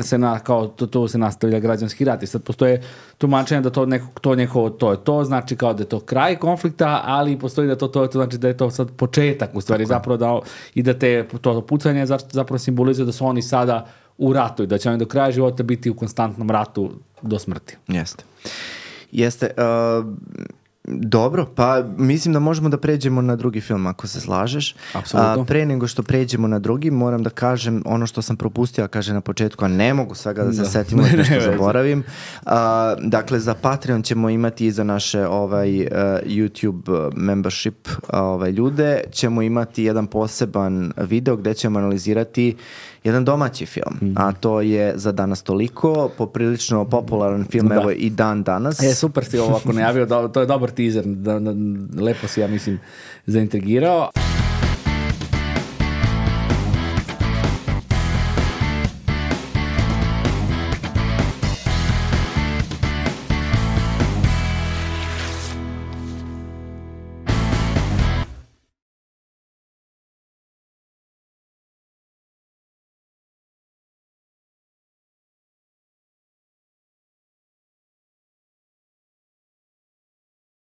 to se nastavlja građanski rat. I sad postoje tumačenje da to je to, znači kao da je to kraj konflikta, ali postoji da to znači da je to sad početak u stvari zapravo da to pucanje zapravo simbolizuje da su oni sada u ratu i da će oni do kraja života biti u konstantnom ratu do smrti. Jeste. Dobro, pa mislim da možemo da pređemo na drugi film ako se slažeš. Apsolutno. Pre nego što pređemo na drugi, moram da kažem ono što sam propustio, kaže na početku, a ne mogu svega da se setim što zaboravim. Dakle, za Patreon ćemo imati i za naše YouTube membership ljude, ćemo imati jedan poseban video gde ćemo analizirati jedan domaći film, a to je Za danas toliko, poprilično popularan film, evo i dan danas. Super si ovo ako najavio, to je dobar teaser, lepo si, ja mislim, zaintrigirao.